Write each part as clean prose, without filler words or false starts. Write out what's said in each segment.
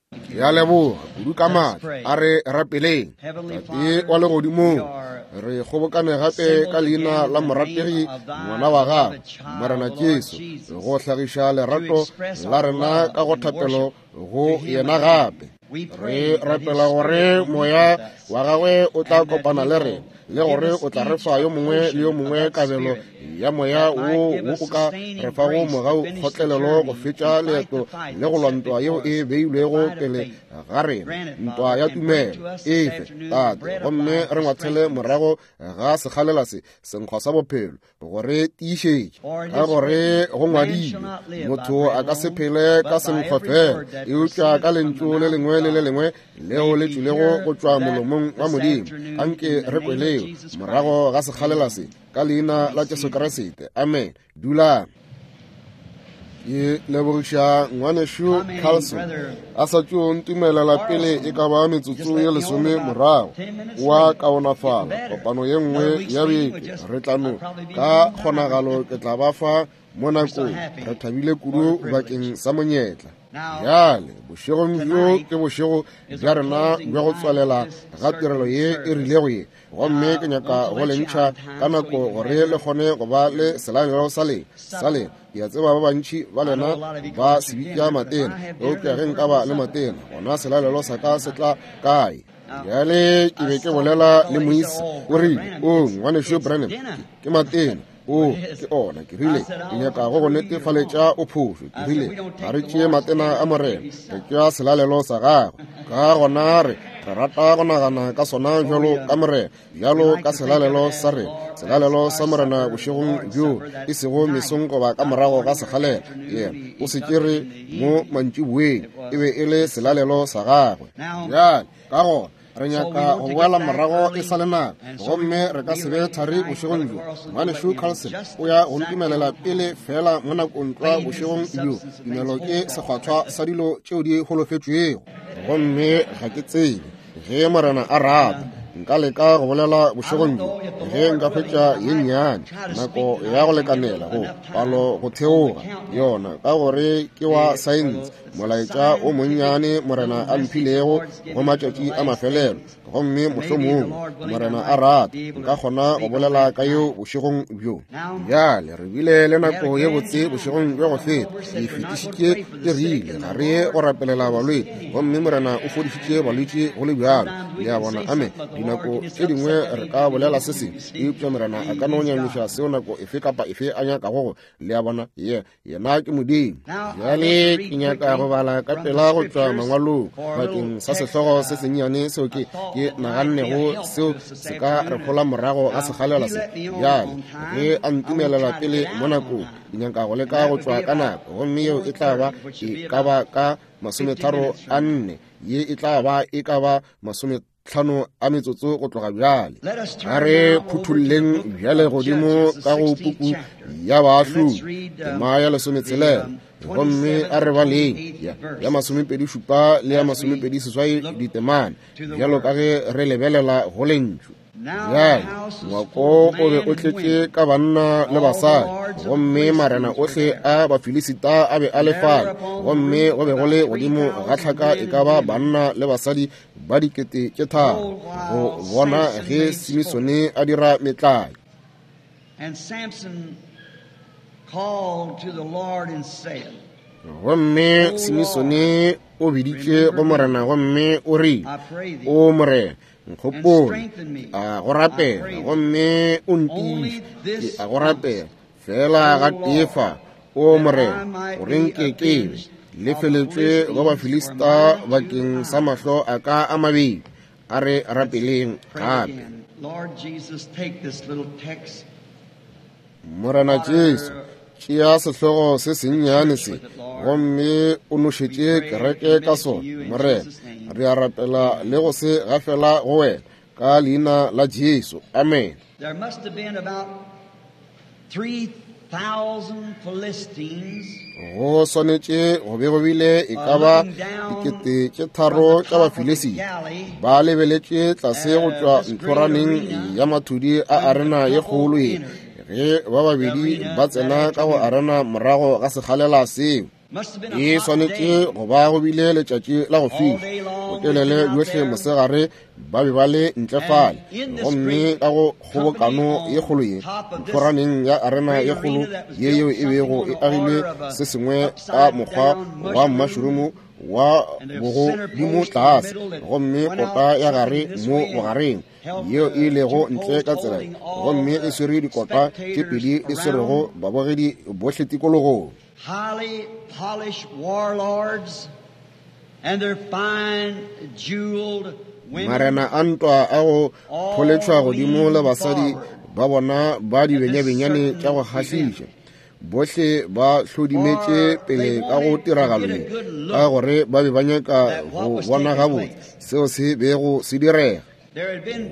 Ke a leboga kudu ka maatla. A re rapeleng. Tate wa legodimong, re kgobokane gape ka leina la morategi ngwana wa gago, Morena Jesu, go hlagiša lerato la rena ka go thapelo go yena gape. Re rapela gore moya wa gagwe o tla kopana le rena le gore o tla re fa yo mongwe le yo mongwe kabelo ya moya wo wo o ka re fago mogau kgotlelelo go fetša leeto le go lwa ntwa yeo e beilwego pele ga rena, ntwa ya tumelo. Efe, Tate, gomme re ngwathele morago ga sekgalela se, senkgwa sa bophelo, go re tiišetša, ka gore go ngwadilwe, motho a ka se phele ka senkgwa fela, eupša ka lentšu le lengwe le le lengwe leo le tšwilego go tšwa molomong wa Modimo. Anke re kweleo morago ga sekgalela se, ka leina la Jesu Kriste. Amen. Dulang. Ke lebogiša ngwanešu Carlson a sa tšo ntumelela pele e ka ba metsotso ye lesome morago wa kaonafala kopano ye nngwe ya beke re tla no ka kgonagalo ke tla ba fa mo nakong re thabile kudu bakeng sa monyetla bjale bošegong bjo ke bošego bja rena bja go tswalela ga tirelo ye e rilego ye gomme ke nyaka go le ntšha ka nako gore le kgone go ba le selalelo sa lena sa lena ke a tseba ba bantši ba lena ba se bitša matena eupša ge nka ba le matena gona selalelo sa ka se tla kae bjale ke be ke bolela le moisa o rile o ngwanešu Branham ke matena o ke ona ke rile ke nyaka go go netefaletša o phošo ke rile ga re tšee matena a morena re tšea selalelo sa gagwe ka gona re re rata go nagana ka sona bjalo ka morena bjalo ka selalelo sa rena selalelo sa morena bošegong bjo e sego mesong goba ka morago ga sekgalela yena o se tšere mo mantšiboeng e be e le selalelo sa gagwe bjale ka gona re nyaka go boela morago e sa le nako gomme re ka se be thari bošegong bjo ngwanešu Carlson o ya go ntumelela pele fela mo nakong tlwa bošegong bjo tumelo ke sekgwathwa sa dilo tšeo di holofetšwego gomme ga ke tsebe ge morena a rata nka leka go bolela bošegong bjo ge nka hwetša ye nnyane nako ya go lekanela go palo go theoga yona ka gore ke wa saense molaetša o monnyane morena a mphilego go matšatši a mafelelo gomme mohlomongwe morena a rata nka kgona go bolela ka yeo bošegong bjo bjale re bile le nako ye botse bošegong bja go feta ke fetišitše ke rile ga re ye go rapelela balwetši gomme morena o fodišitše balwetši go le bjalo le a bona ame dinako tše dingwe re ka bolela se sengwe eupša morena a ka no nyamiša seo nako efe kapa efe a nyakago go le a bona ye Yena ke Modimo. Bjale ke nyaka go bala ka pela go tšwa mangwalong bakeng sa sehlogo se sennyane seo ke ke nagannego seo se ka re hola morago ga sekgalela se. Bjale ge a ntumelela pele mo nakong, ke nyaka go leka go tšwa ka nako, gomme yeo e tla ba e ka ba ka masometharo a nne, ye e tla ba e ka ba masome tlhano a metsotso go tloga bjale a re phuthulleng bjale godimo ka go puku ya baahlodi tema ya lesometshelela gomme a re baleng ya masomepedi šupa le ya masomepedi seswai ditemana bjalo ka ge re lebelela go lentšu bjale ngwako o be o tletše ka banna le basadi gomme marena ohle a bafilisita a be a le fale gomme go be go le godimo ga tlhaka e ka ba banna le basadi ba dikete tše tharo go bona ge Simisone a dira metlae. And Samson called to the Lord and said, Gomme Simisone o biditše go Morena gomme o rile, O Morena, nkgopole, a go rapela, gomme o ntiiše, ke a go rapela, fela ga tee fa, O Morena, gore nke ke be lefeletšwe go Bafilista bakeng sa mahlo a ka a mabedi. A re rapeleng gape. Morena Jesu, tšea sehlogo se sennyane se gomme o nošetše kereke ka sona. Morena, re a rapela le go se gafela go wena ka leina la Jesu. Amen. There must have been about 3,000 Philistines go swanetše go be go bile e ka ba dikete tše tharo tša bafilisita ba lebeletše tlase go tšwa ntlhoraneng ya mathudi a arena ye kgolo ye ge ba babedi ba tsena ka go arena morago ga sekgalela seo. E swanetše go ba go bile letšatši la go fiša, botelele bjohle mosegare ba be ba le ntle fale. Gomme ka go kgobokano ye kgolo ye, nthoraneng ya arena ye kgolo ye yeo e bego e agilwe se sengwe ka mokgwa wa mmašurumu wa bogodimo tlase, gomme kota ya gare mo bogareng yeo e ilego ntle ka tsela, gomme e swere dikota tše pedi di swerego babogedi bohle tikologong. Highly polished warlords and their fine jeweled women. Marena a ntwa a go pholetšhwa godimo le basadi ba bona ba dibenyabenyane tša go kgahliša, bohle ba hlodimetše pele ka go tiragalo ye, ka gore ba be ba nyaka go bona gabotse seo se bego se direga.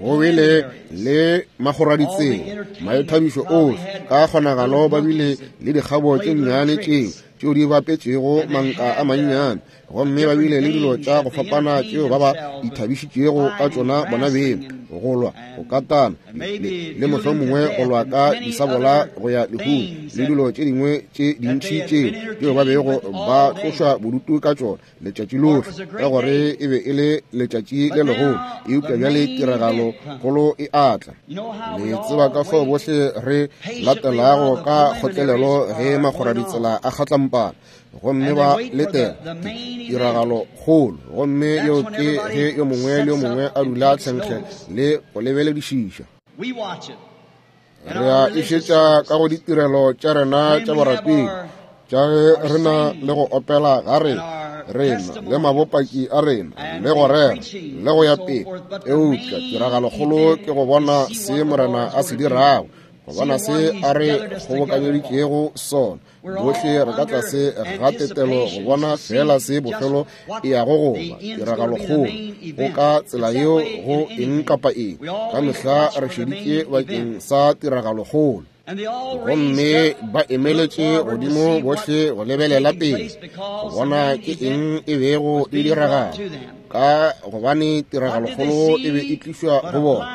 Go bile le magoraditsela, maithabišo ohle, ka kgonagalo ba bile le dikgabo tše nnyane tšeo tšeo di bapetšego manka a mannyane, gomme ba bile le dilo tša go fapana tšeo ba ba ithabišitšego ka tšona bona beng, go lwa, go katana, le mohlomongwe go lwa ka disabola go ya lehung, le dilo tše dingwe tše dintši tšeo tšeo ba bego ba tlošwa bodutu ka tšona letšatši lohle, ka gore e be e le letšatši le legolo. Eupša bjale tiragalo kgolo e atla. Le tseba ka fao bohle re latelago ka kgotlelelo ge makgoraditsela a kgatlampana, gomme ba letela tiragalo kgolo, gomme yeo ke ge yo mongwe le yo mongwe a dula tlhenkge le go lebeledišiša. Re a išetša ka go ditirelo tša rena tša borapedi, tša ge re na le go opela ga rena, rena le mabopaki a rena, le go rera, le go ya pele. Eupša tiragalokgolo ke go bona se Morena a se dirago, go bona se a re kgobokanyeditšego sona. Bohle re ka tlase ga tetelo go bona fela se bofelo e yago go ba, tiragalokgolo. Go ka tsela yeo go eng kapa eng, ka mehla re šeditše bakeng sa tiragalokgolo. Gomme ba emeletše godimo bohle go lebelela pele go bona ke eng e bego e diragala, ka gobane tiragalokgolo e be e tlišwa go bona.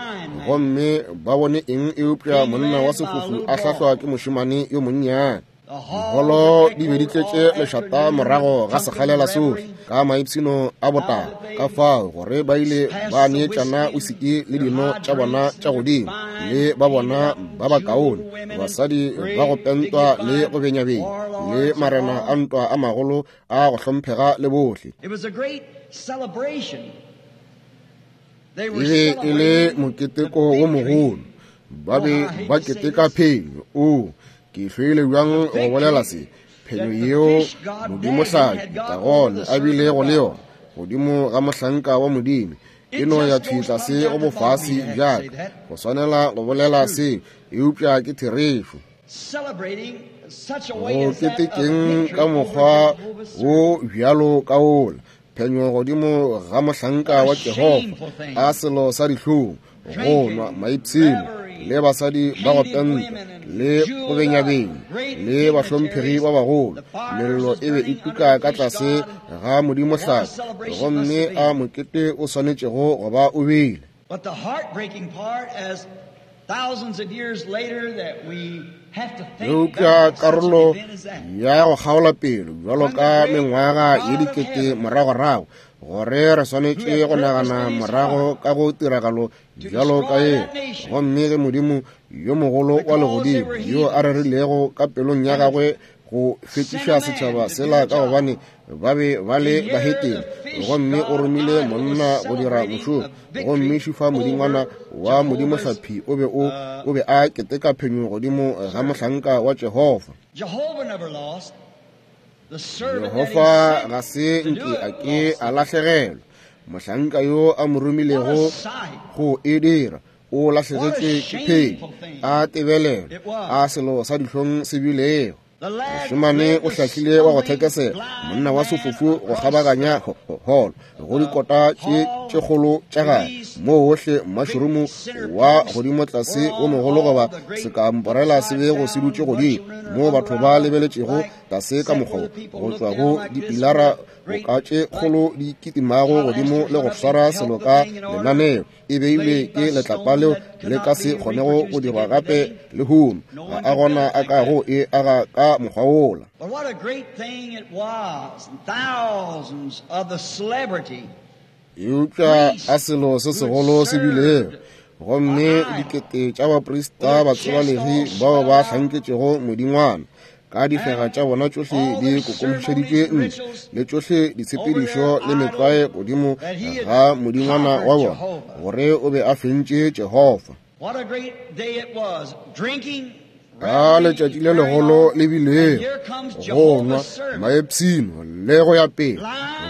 Gomme ba bone eng eupša monna wa sefofu a hlahlwa ke mošemane yo monnyane. Diholo di be di tletše lešata morago ga sekgalela sohle ka maipshino a botala, ka fao gore ba ile ba neetšana wisiki le dino tša bona tša godimo, le ba bona ba bakaone, basadi ba go pentwa le go benyabenya, le marena a ntwa a magolo a go hlomphega le bohle. It was a great celebration. E be e le moketeko wo mogolo. Ba be ba keteka phenyo. O, ke hloile bjang go bolela se, phenyo yeo Modimohlaki Dagone a bilego le yona godimo ga mohlanka wa Modimo, e no ya thwi tlase go bofase bjaka. Go swanela go bolela se, eupša ke therešo. Go ketekeng ka mokgwa wo bjalo ka wola, phenyo godimo ga mohlanka wa Jehofa, a selo sa dihlong, go nwa maipshino, le basadi ba go pentwa, le go benyabenya, le bahlomphegi ba bagolo. Mello e be e tuka ka tlase ga Modimohlaki, gomme a mokete o swanetšego go ba o bile. But the heartbreaking part, as thousands of years later that we have to think Eupša back on such an karolo event as that. ya go kgaola pelo bjalo ka mengwaga ye dikete moragorago, gore re swanetše go nagana morago ka go tiragalo bjalo ka ye, gomme ge Modimo yo mogolo wa legodimo yo a rerilego ka pelong ya gagwe go fetiša setšhaba sela ka gobane ba be ba le bahetene, gomme o romile monna go dira mošomo, gomme šufa modingwana wa modimohlaphi o be o o be a keteka phenyo godimo ga mohlanka wa Jehofa. Jehovah never lost. The servant that he Jehofa sent ga se to do nke it a ke lost. a lahlegelwa. Mohlanka yo a mo What a romilego sight. go e dira o lahlegetše ke phenyo, a tebelelo, a selo sa dihlong se bilego. The lad Mošemane led o the hlahlile wa go stumbling thekesela, blind monna wa man sefofu go across kgabaganya the holo go dikota tše tše kgolo tša gagwe, moo ohle mašurumu wa godimo tlase o mogolo goba sekamporela se bego se dutše godimo, moo batho ba lebeletšego tlase ka mokgwa go tšwa go dipilara boka tše kgolo di kitimago godimo le go swara selo ka lenaneo. E beilwe ke letlapa leo le ka se kgonego go dirwa gape lehono. Ga a gona a kago e aga ka mokgwa wola. But what a great thing it was. And thousands of the celebrity. Eupša a selo se segolo se bilego, gomme dikete tša baprista batsebalegi bao ba hlanketšego modingwana ka difega tša bona tšohle di kokomišeditšwe ntle, le tšohle ditshepedišo le metlwae godimo ga modingwana wa bona, gore o be a fentše Jehofa. What a great day it was. Drinking, Ka letšatši le legolo le bilego, go nwa, maepshino le go ya pele,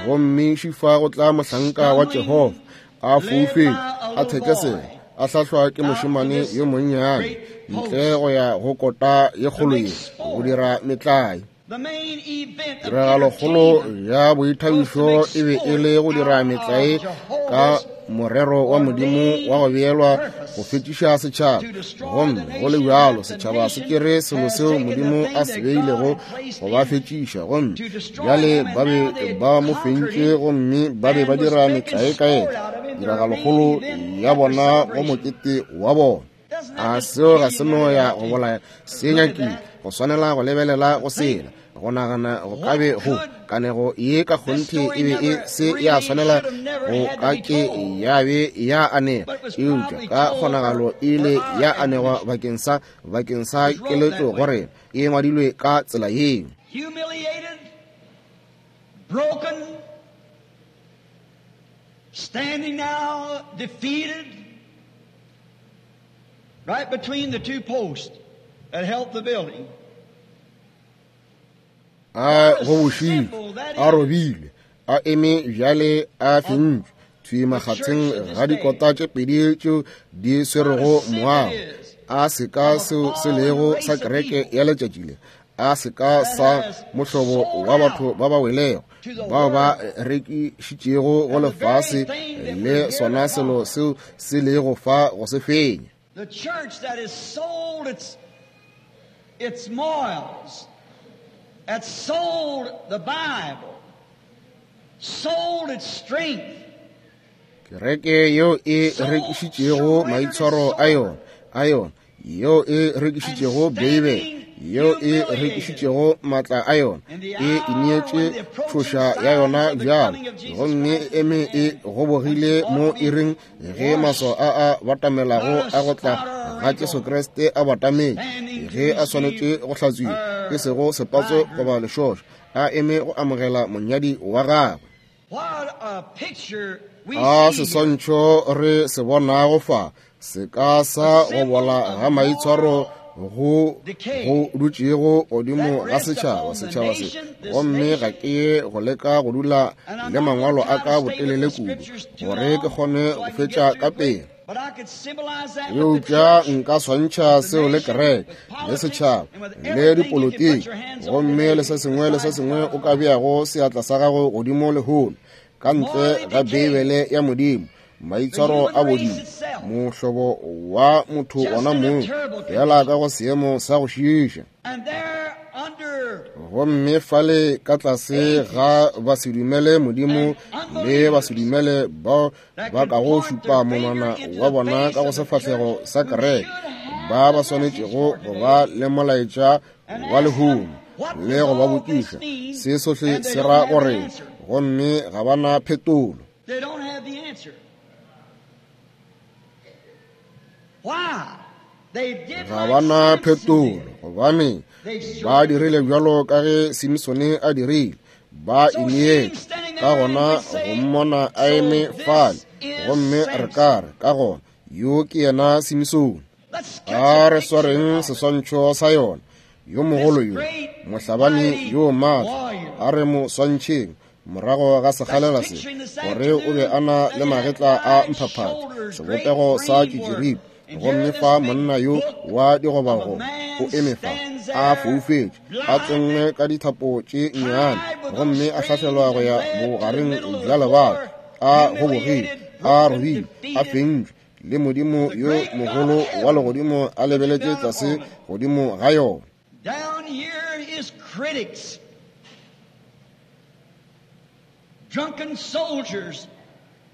gomme šifa go tla mohlanka wa Jehofa a foufetše, a thekesela, a hlahlwa ke mošemane yo monnyane ntle go ya go kota ye kgolo ye go dira metlae. The main event of Tiragalokgolo entertainment ya boithabišo e be e le go dira metlae ka morero wa Modimo wa go beelwa go fetiša setšhaba, gomme go le bjalo setšhaba se tšere selo seo Modimo a se beilego go ba fetiša, gomme bjale ba be ba mo fentše gomme ba be ba dira metlae ka yena. Tiragalokgolo ya bona go mokete wa bona. A seo ga se no ya go bolaya se nyakile go swanela go lebelela go sela go nagana go ka be go kanego ye ka kgonthe e be e se ya swanela go ka ke ya be ya anegwa, eupša ka kgonagalo e ile ya anegwa bakeng sa keletšo go rena. E ngwadilwe ka tsela yeo. Humiliated, broken, standing now defeated, right between the two posts that held the building. A gobošilwe, a robilwe, a eme bjale a fentšwe thwi makgatheng ga dikota tše pedi tšeo di swerego moago. A seka seo se lego sa kereke ya letšatši le, a seka sa mohlobo wa batho ba ba welego bao ba rekišitšego go lefase le sona selo seo se lego fa go se fenya. The church that has sold its morals, that sold the Bible, sold its strength. Kereke yeo e rekišitšego maitshwaro a yona, yeo e rekišitšego Beibele, yeo e rekišitšego matla a yona, e ineetše tšhoša ya yona bjalo, gomme e eme e gobogile mo iring ge maswao a a batamelago a go tla ga Jesu Kriste a batametše, ge a swanetše go hlatswiwa, e sego sepatso goba lešošo, a eme go amogela monyadi wa gagwe. A seswantšho re se bonago fa se ka sa go bola ga maitshwaro go dutšego godimo ga setšhaba se, gomme ga ke ye go leka go dula le mangwalo a ka botelele kudu gore ke kgone go fetša ka pele. Eupša nka swantšha seo le kereke le setšhaba le dipolotiki, gomme le se sengwe le se sengwe o ka beago seatla sa gago godimo lehono ka ntle ga Beibele ya Modimo. Maitshwaro a bodimo, mohlobo wa motho ona mong, fela ka go seemo sa go šiiša. Gomme fale ka tlase ga basedumele Modimo le basedumele bao ba kago šupa monwana wa bona ka go sefahlego sa kereke, ba ba swanetšego go ba le molaetša wa lehono le go ba botšiša se sohle se ra gore, gomme ga ba na phetolo. They don't have the answer. Why? They did Ga ba na phetolo, gobane ba dirile bjalo ka ge Simsone a dirile, ba ineetše. Ka gona go mmona a eme fale, gomme re ka re ka gona yo ke yena Simsone. A re swareng seswantšho sa yona, yo mogolo yo, mohlabani yo maatla, a re mo swantšheng morago ga sekgalela se, gore o be a na le magetla a mphaphatša, sebopego sa tšitširipe, gomme fa monna yo wa digobagoba o eme fa a foufetše, a tsenngwe ka dithapo tše nnyane, gomme a hlahlelwa go ya bogareng bja lebala, a gobogile, a robile, a fentšwe, le Modimo yo mogolo wa legodimo a lebeletše tlase godimo ga yona. Critics, drunken soldiers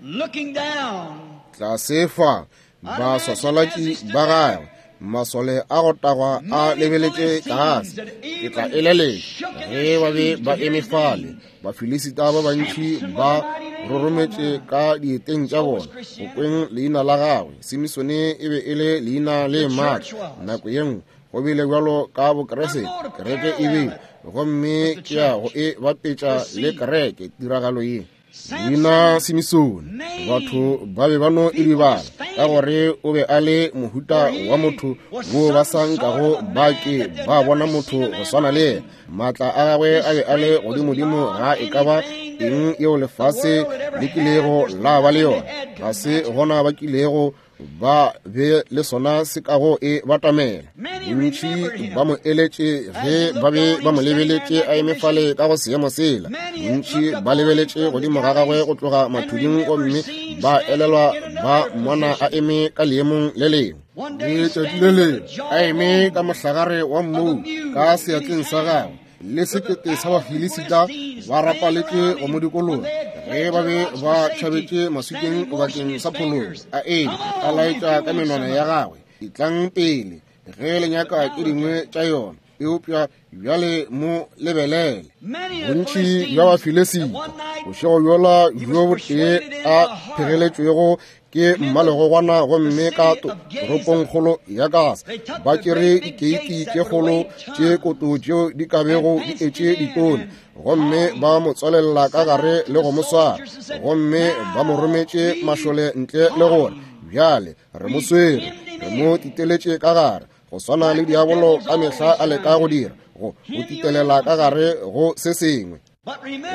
looking down. Tlase fa baswaswalatši ba gagwe, masole a go tagwa a lebeletše tlase. Ke tla eleletša ge ba be ba eme fale, Bafilisita ba bantši ba rorometše ka dieteng tša bona go kweng leina la gagwe. Simisone e be e le leina le maatla nako ye nngwe. Go bile bjalo ka Bokreste, kereke e bile, gomme ke ya go e bapetša le kereke tiragalo ye. Leina Simisone, batho ba be ba no e lebala ka gore o be a le mohuta wa motho wo ba sa nkago ba ke ba bona motho go swana le yena. Maatla a gagwe a be a le godimodimo ga e ka ba eng yeo lefase le kilego la ba le yona. Ga se gona ba kilego ba be le sona se kago e batamela. Bontši ba mo eletše ge ba be ba mo lebeletše a eme fale ka go seemo sela. Bontši ba lebeletše godimo ga gagwe go tloga mathuding gomme ba elelwa ba mmona a eme ka leemong le lengwe. Letšatši le lengwe a eme ka mohlagare wa mmou ka seatleng sa gagwe le sekete sa Bafilisita ba rapaletše go mo dikologa ge ba be ba tšhabetše maswikeng bakeng sa phologo. A eme a laetša ka menwana ya gagwe, Etlang pele ge le nyaka tše dingwe tša yona, eupša bjale mo lebelele. Bontši bja Bafilisita bošego bjola bjo botee a phegeletšwego ke mmalegogwana gomme ka toropongkgolo ya Gasa ba tšere dikeiti tše kgolo tše koto tšeo di ka bego di etše ditone gomme ba mo tswalelela ka gare le go mo swara, gomme ba mo rometše mašole ntle le gore bjale re mo swere, re mo titeletše ka gare, go swana le diabolo ka mehla a leka go dira, go titelela ka gare go se sengwe.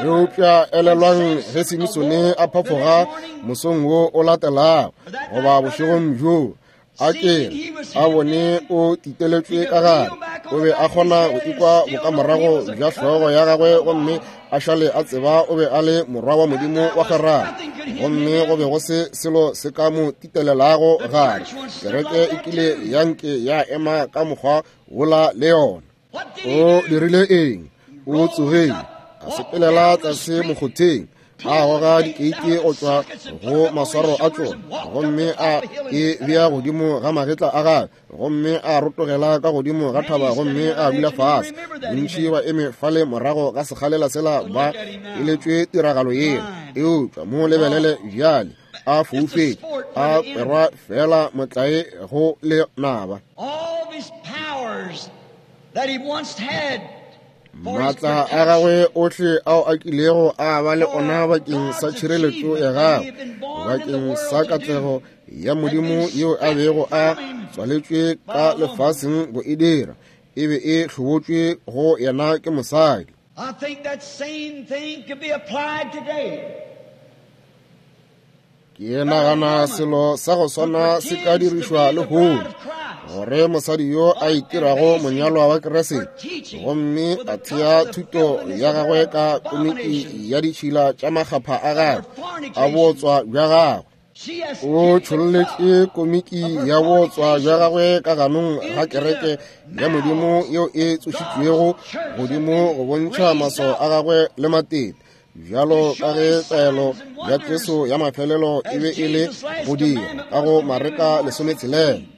Eupša elelwang ge Simisone a phafoga mosong wo o latelago goba bošegong bjoo, a kere a bone o titeletšwe ka gare, o be a kgona go ikwa bokamorago bja hlogo ya gagwe gomme a šale a tseba o be a le morwa wa Modimo wa kgwerano, gomme go be go se selo se ka mo titelelago gare. Kereke e kile ya nke ya ema ka mokgwa wola le yona. O dirile eng? O tsogile, a sepelela tlase mokgotheng, a goga dikeiti go tšwa go maswaro a tšona gomme a e bea godimo ga magetla a gagwe, gomme a rotogela ka godimo ga thaba gomme a dula fase. Bontši ba eme fale morago ga sekgalela sela ba eletšwe tiragalo yela, eupša mo lebelele bjale a foufetše, a kwerwa fela motlae go lenaba. Maatla a gagwe ohle ao a kilego a ba le ona bakeng sa tšhireletšo ya gagwe, bakeng sa katlego ya Modimo yeo a bego a tswaletšwe ka lefaseng go e dira, e be e hlobotšwe go yena ke mosadi. I think that same thing could be applied today. Ke nagana selo sa go swana se ka dirišwa lehono, gore mosadi yo a itirago monyalwa wa Kriste gomme a thea thuto ya gagwe ka komiki ya ditšhila tša makgapha a gagwe a bootswa bja gagwe, o tšholletše komiki ya bootswa bja gagwe ka ganong ga kereke ya Modimo yeo e tsošitšwego godimo go bontšha maswao a gagwe le matete, bjalo ka ge taelo ya Jesu ya mafelelo e be e le go dira ka go Mareka 16.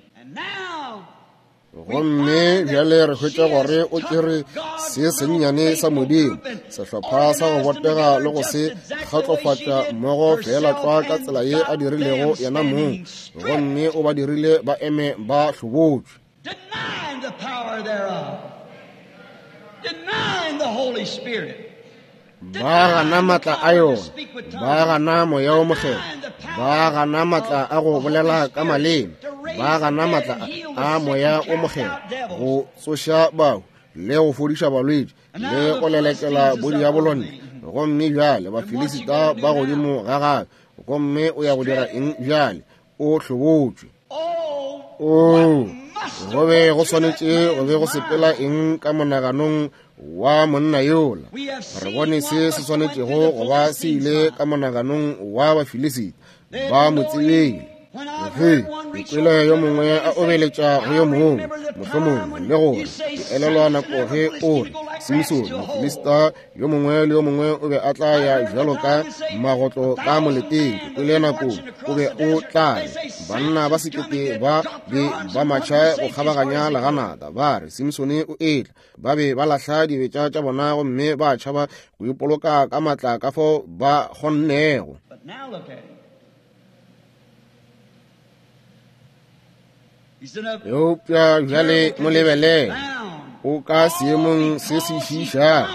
Gomme bjale re hwetša gore o tšere se sennyane sa Modimo, sehlopha sa go botega le go se kgatlofatša mmogo feela tlwa ka tsela ye a dirilego yena mong, gomme o ba dirile ba eme ba hlobotšwe. Denying the power thereof, denying the Holy Spirit. Ba gana maatla a yona, ba gana Moya wo Mokgethwa, ba gana maatla a go bolela ka maleme, ba gana maatla a Moya wo Mokgethwa go tsoša bahu le go fodiša balwetši le go lelekela bodiabolo ntle. Gomme bjale Bafilisita ba godimo ga gagwe, gomme o ya go dira eng bjale? O hlobotšwe. Oo, go be go swanetše go be go sepela eng ka monaganong wa monna yola? Re bone se se swanetšego go ba se ile ka monaganong wa Bafilisita. Ba mo tsebile. Ge ke kwele yo mongwe a obeletša go yo mongwe, mohlomongwe le gore ke elelwa nako ge o re Simsone, Mofilista yo mongwe le yo mongwe o be a tla ya bjalo ka magotlo ka moleteng. Ke kwele nakong o be o tla re, banna ba sekete ba be ba matšha go kgabaganya leganata, ba re, Simsone o etla. Ba be ba lahla dibetša tša bona gomme ba tšhaba go ipoloka ka matla ka fao ba kgonnego. Eupša bjale mo lebelele, o ka seemong se se šiišago,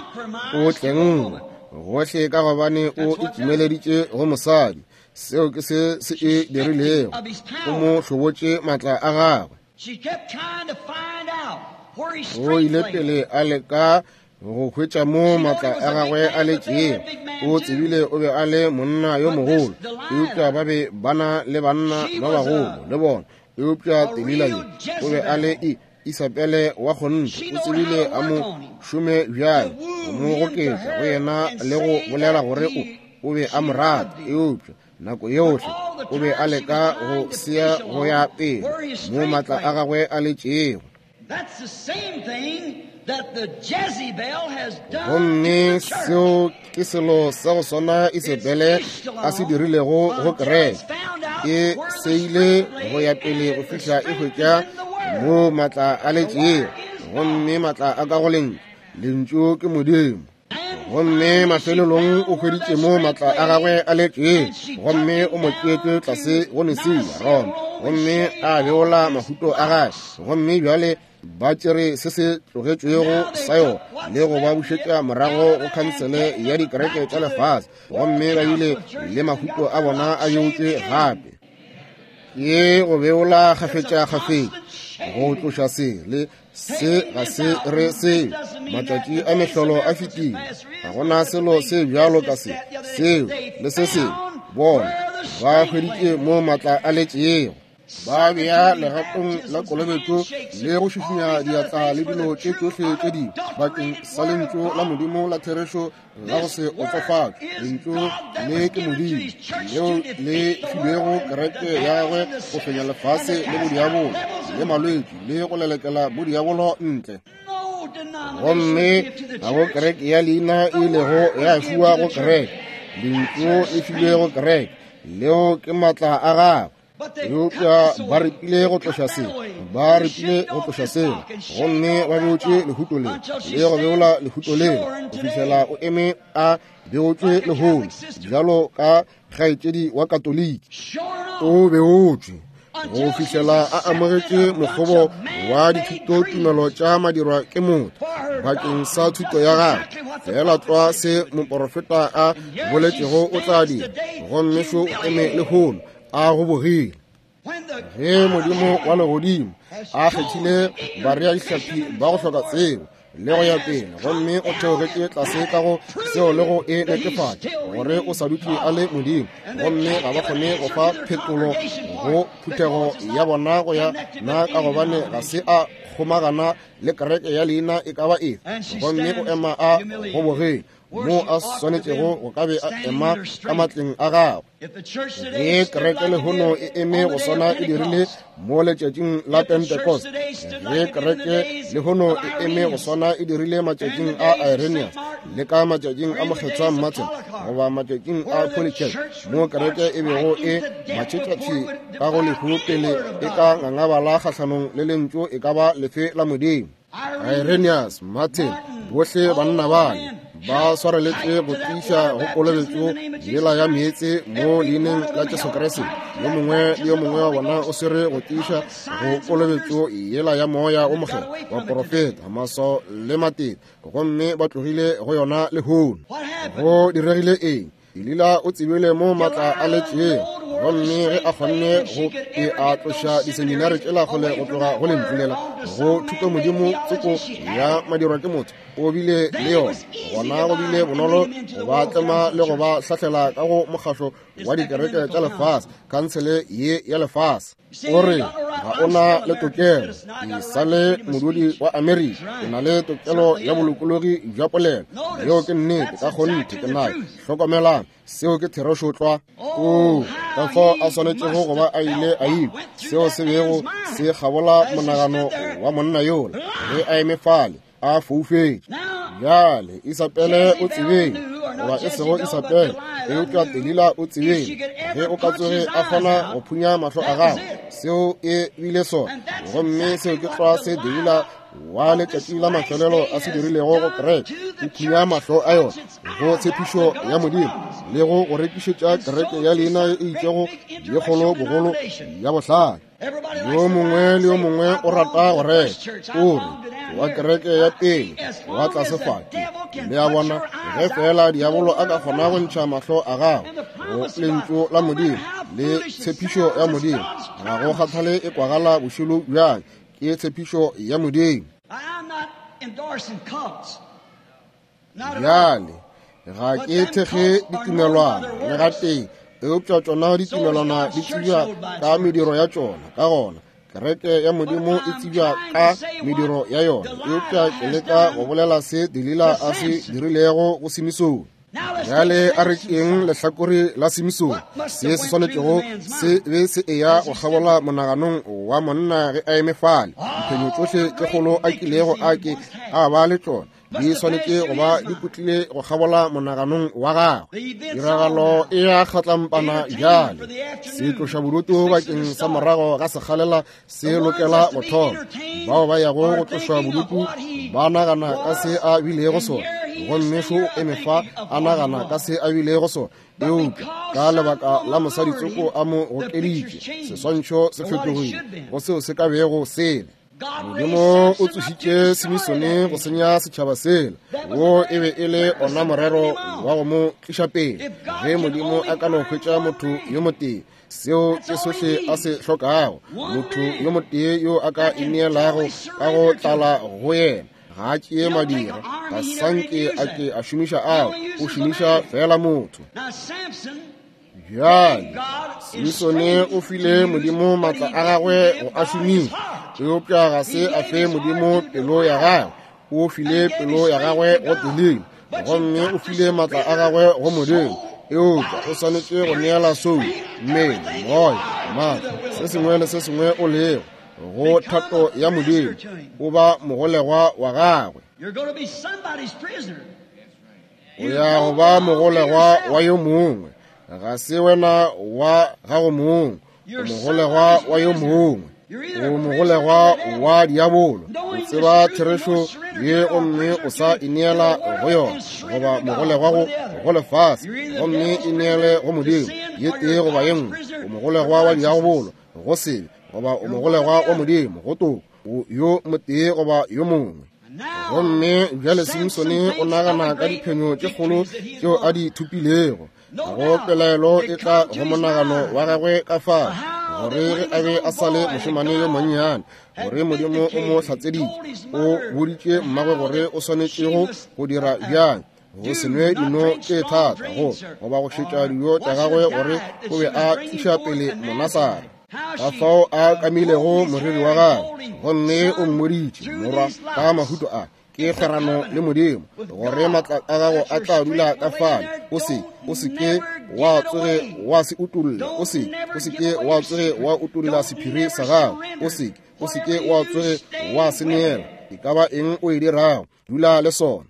o tlengwe gohle ka gobane o itšimeleditše go mosadi. Seo ke se se e dirilego, o mo hlobotše matla a gagwe. O ile pele a leka go hwetša mo matla a gagwe a letšego. O tsebile o be a le monna yo mogolo, eupša ba be ba na le banna ba bagolo le bona. Eupša Delila yo o be a le Isabele wa kgonthe, o tsebile a mo šome bjang, go mo goketša go yena le go bolela gore o be a mo rata. Eupša nako yohle o be a leka go sea go ya pele mo matla a gagwe a letšego. Gomme seo ke selo sa go swana Isabele a se dirilego go kereke. E seile go ya pele go fihla e hwetša mo matla a letšego, gomme matla a ka go lentšu. Lentšu ke Modimo. Gomme mafelelong o hweditše mo matla a gagwe a letšego, gomme o mo tšeetše tlase go Nicaea, Roma, gomme a beola mahuto a gagwe. Gomme bjale ba tšere se se tlogetšwego sa yona le go ba bušetša morago go khansele ya dikereke tša lefase, gomme ba bile le mahuto a bona a beotšwe gape. Ke go beola kgafetšakgafetša, go tloša se le se ga se re seo. Matšatši a mehlolo a fetile, ga gona selo se bjalo ka se, seo le se sengwe. Bona ba hweditše mo matla a letšego, ba bea legatong la kolobetšo le go šišinya diatla le dilo tše tšohle tše dingwe bakeng sa lentšu la Modimo la therešo la go se otsofatšwe. Lentšu le ke Modimo leo le filwego kereke ya gagwe go fenya lefase le bodiabolo le malwetši le go lelekela bodiabolo ntle. Gomme ga go kereke ya leina e ilego ya fiwa go kereke. Lentšu le filwe go kereke, leo ke matla a gagwe. Eupša ba repile go tloša se, ba repile go tloša sela, gomme ba beotše lehuto le le go beola lehuto le go fihlela o eme a beotšwe lehono bjalo ka kgaetšedi wa Katoliki. O beotšwe go fihlela a amogetše mokgobo wa dithutotumelo tša madirwa ke motho bakeng sa thuto ya gagwe. Fela tlwa se moporofeta a boletšego o tla dira, gomme šo o eme lehono a go bogile. Ge Modimo wa legodimo a kgethile bareadihlapi ba go hloka tsebo le go ya pele, gomme o theogetše tlase ka go seo le go e netefatša gore o sa dutše a le Modimo, gomme ga ba kgone go fa phetolo go phuthego ya bona go ya na, ka gobane ga se a kgomagana le kereke ya leina e ka ba efe, gomme o ema a gobogile mo a swanetšego go ka be a ema ka matleng a gagwe. Ge kereke lehono e eme go swana e dirile mo letšatšing la Pentecost, ge kereke lehono e eme go swana e dirile matšatšing a Irenaeus le ka matšatšing a Mokgethwa Martin goba matšatšing a Polycarp, mo kereke e bego e matšhetšatši ka go lehu pele e ka ngangabala kgahlanong le lentšu e ka ba lefe la Modimo. Irenaeus, Martin, bohle banna bale ba swareletše go tiiša go kolobetšo yela ya meetse mo leineng la Jesu Kriste. Yo mongwe le yo mongwe wa bona o swere go tiiša go kolobetšo yela ya moya o mokgethwa, baporofeta, maswao le matete, gomme ba tlogile go yona lehono. Go diregile eng? Delila o tsebile mo matla a letšego, gomme ge a kgonne go e a tloša diseminari tšela kgole go tloga go lentšu lela go thuto modimo tsoko ya madirwa ke motho, o bile le yona. Gona go bile bonolo go ba tlema le go ba hlahlela ka go mokgahlo wa dikereke tša lefase, khansele ye ya lefase. O re ga o na le tokelo, ke sa le modudi wa Amerika, ke na le tokelo ya bolokologi bja polelo. Yeo ke nnete, ka kgonthe ke nayo. Hlokomelang, seo ke therešo tlwa. Oo, ka fao a swanetšego go ba a ile a ikwa seo se bego se kgabola monagano wa monna yola ge a eme fale a foufetše. Bjale Isabele o tsebeng, goba e sego Isabele, eupša Delila o tsebeng, ge o ka tsoge a kgona go phunya mahlo a gago, seo e bile sona. Gomme seo ke tlwa se Delila wa letšatši la mafelelo a se dirilego go kereke, o phunya mahlo a yona go tshepišo ya Modimo le go go rekišetša kereke ya leina e itšego ye kgolo bogolo ya bohlale. Yo mongwe le yo mongwe o rata go reka, o re wa kereke ya pele wa tlase fa. Le a bona, ge fela diabolo a ka kgona go ntšha mahlo a gago go lentšu la Modimo le tshepišo ya Modimo, ga go kgathale e kwagala bošilo bjang, ke tshepišo ya Modimo. Bjale, ga ke thekge ditumelwana le gatee, eupša tšona ditumelwana di tsebja ka mediro ya tšona. Ka gona kereke ya Modimo e tsebja ka mediro ya yona. Eupša ke leka go bolela se Delila a se dirilego go Simisone. Bjale a re tšeeng lehlakore la Simisone, se se swanetšego se be se eya go kgabola monaganong wa monna ge a eme fale. Diphenyo tšohle tše kgolo a kilego a ke a ba le tšona di swanetše go ba di putlile go kgabola monaganong wa gagwe. Tiragalo e ya kgatlampana bjale, se tloša bodutu bakeng sa morago ga sekgalela se lokela go thoma. Bao ba yago go tlošwa bodutu ba nagana ka se a bilego sona, gomme šo eme fa a nagana ka se a bilego sona. Eupša ka lebaka la mosadi tsoko a mo gokeditše, seswantšho se fetogile go seo se ka bego sele. Modimo o tsošitše Simisone go senya setšhaba sela. Wo e be e le ona morero wa go mo tliša pele. Ge Modimo a ka no hwetša motho yo motee, seo ke sohle a se hlokago, motho yo motee yo a ka ineelago ka go tlala go yena. Ga a tšee madira, ga sanke a ke a šomiša ao, o šomiša fela motho. Bjale, Simisone o file Modimo maatla a gagwe go a šomiša, eupša ga se a fe Modimo pelo ya gagwe. O file pelo ya gagwe go Delila, gomme o file maatla a gagwe go Modimo. Eupša o swanetše go neela soulo, mmele, moya, maatla, se sengwe le se sengwe o lego, go thato ya Modimo. O ba mogolegwa wa gagwe. O ya go ba mogolegwa wa yo mongwe. Ga se wena wa gago mong, o mogolegwa wa yo mongwe. O mogolegwa wa diabolo. O tseba therešo ye gomme o sa ineela go yona, goba mogolegwa go lefase gomme ineele go Modimo, ye tee goba ye nngwe. O mogolegwa wa diabolo go sebe, goba o mogolegwa wa Modimo go toko, yo motee goba yo mongwe. Gomme bjale Simsone o nagana ka diphenyo tše kgolo tšeo a di thopilego. Go pelaelo e tla go monagano wa gagwe ka fao, gore ge a be a sa le mošemane yo monnyane, gore Modimo o mo hlatseditše, o boditše mmagwe gore o swanetšego go dira bjang, go se nwe dino tše thata go goba go šetša dijo tša gagwe, gore o be a tliša pele Monasara. Ka fao a kamilego moriri wa gagwe, gomme o mmoditše, morwa, ka mahuto a ke kgwerano le Modimo, gore maatla a gago a tla dula ka fale. O se, o se ke wa tsoge wa se utolla, o se, o se ke wa tsoge wa utolla sephiri sa gago, o se, o se ke wa tsoge wa se neela. E ka ba eng o e dirago, dula le sona.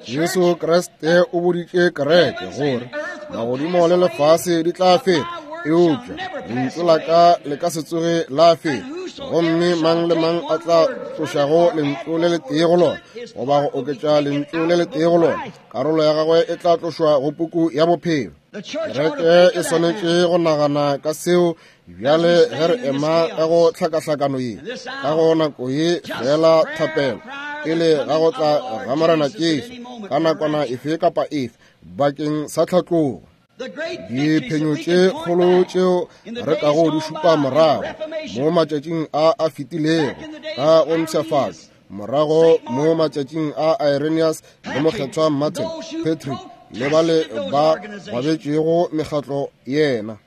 Jesu Kriste o boditše kereke gore magodimo le lefase di tla feta, eupša lentšu la ka le ka se tsoge la feta. Gomme mang le mang a tla tlošago lentšu le letee go lona, goba go oketša lentšu le letee go lona, karolo ya gagwe e tla tlošwa go puku ya bophelo. Kereke e swanetše go nagana ka seo bjale ge re ema ka go hlakahlakano ye, ka go nako ye fela thapelo pele ga go tla ga Morena Jesu ka nakwana efe kapa efe bakeng sa tlhatlogo. Diphenyo tše kgolo tšeo re kago di šupa morago mo matšatšing a a fetilego ka go mpshafatšo, morago mo matšatšing a Irenaeus le mokgethwa Martin, Patrick le bale ba gwabetšego mekgatlo yena.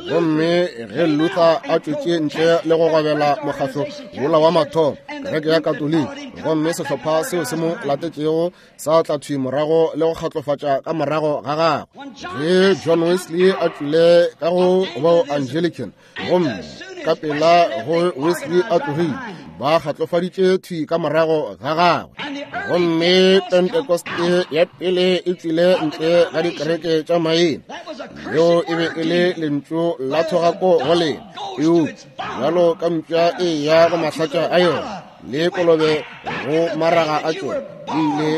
Gomme ge Luther a tšwetše ntle le go gwabela mokgatlo wola wa mathomo, kereke ya Katoliki, gomme sehlopha seo se mo latetšego sa tla thwi morago le go kgatlofatša ka morago ga gagwe. Ge John Wesley a tšwile ka go bo Anglican, gomme Ka pela go Wesley a tlogile, ba kgatlofaditše thwi ka morago ga gagwe. Gomme Pentekoste ya pele e tšwile ntle ga dikereke tša maina. Leo e be e le lentšu la thogako go lena. Eupša bjalo ka mpša e ya go mahlatša a yona, le kolobe go maraga a tšona, di ile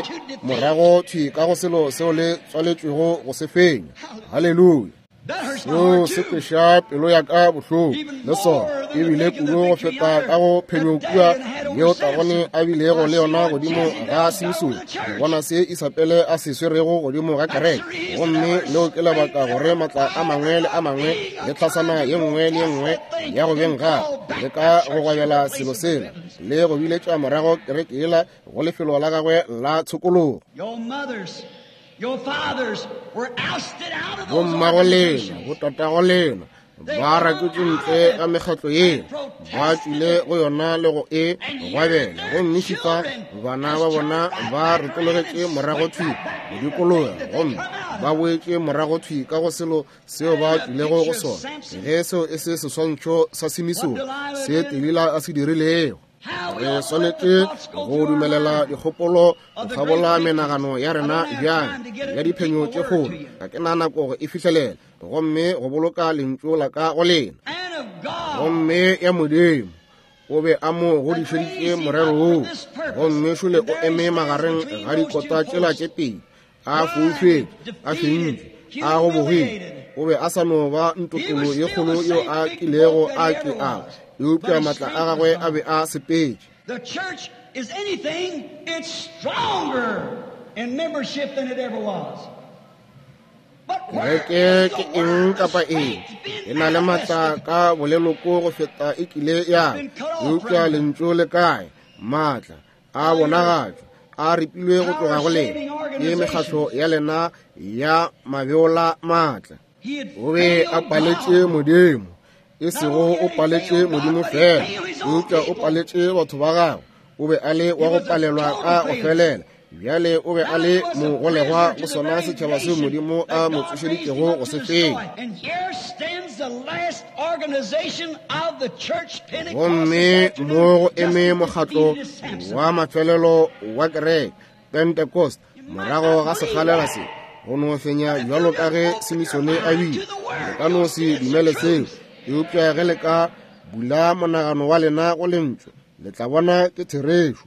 morago thwi ka go selo seo le tswaletšwego go se fenya. Haleluya! Seo se kweša pelo ya ka bohloko le sona, ebile kudu go feta ka go phenyo kua yeo Tagone a bilego le yona godimo ga Simsone, go bona se Isabele a se swerego godimo ga kereke. Gomme leo ke lebaka gore matla a mangwe le a mangwe le tlhasana ye nngwe le ye nngwe ya go beng gape le ka go gwabela selo sela le go biletša morago kereke yela go lefelo la gagwe la tshokologo. Bommago lena, botatago lena ba raketše ntle ga mekgatlo yeo, ba tšwile go yona le go e gwabela, gomme šifa bana ba bona ba retologetše morago thwi go dikologa, gomme ba boetše morago thwi ka go selo seo ba tšwilego go sona. Ge seo e se seswantšho sa Simisone se Delila a se dirilego! Re swanetše go dumelela dikgopolo go kgabola menagano ya rena bjang ya diphenyo tše kgolo. Ga ke na nako go e fihlelela, gomme go boloka lentšu la ka go lena. Gomme ya Modimo o be a mo godišeditše morero woo, gomme šole o eme magareng ga dikota tšela tše pedi, a foufetše, a fentšwe, a gobogile. O be a sa no ba ntotolo ye kgolo yeo a kilego a ke a, eupša matla a gagwe a be a sepetše. The church is anything, it's stronger in membership than it ever was. Kereke ke eng kapa eng, e na le matla ka boleloko go feta e kile ya, eupša lentšu le kae? Matla a bonagatšwa a ripilwe go tloga go lena ke mekgatlo ya lena ya mabeola maatla. O be a paletše Modimo, e sego o paletše Modimo fela, eupša o paletše batho ba gagwe. O be a le wa go palelwa ka go felela. Bjale o be a le mogolegwa go sona setšhaba seo Modimo a mo tsošeditšego go se fenya. Gomme mo go eme mokgatlo wa mafelelo wa kereke, Pentecost, morago ga sekgalela se, go no fenya bjalo ka ge Simisone a bile. Le ka no se dumele seo, eupša ge le ka bula monagano wa lena go lentšu, le tla bona ke therešo.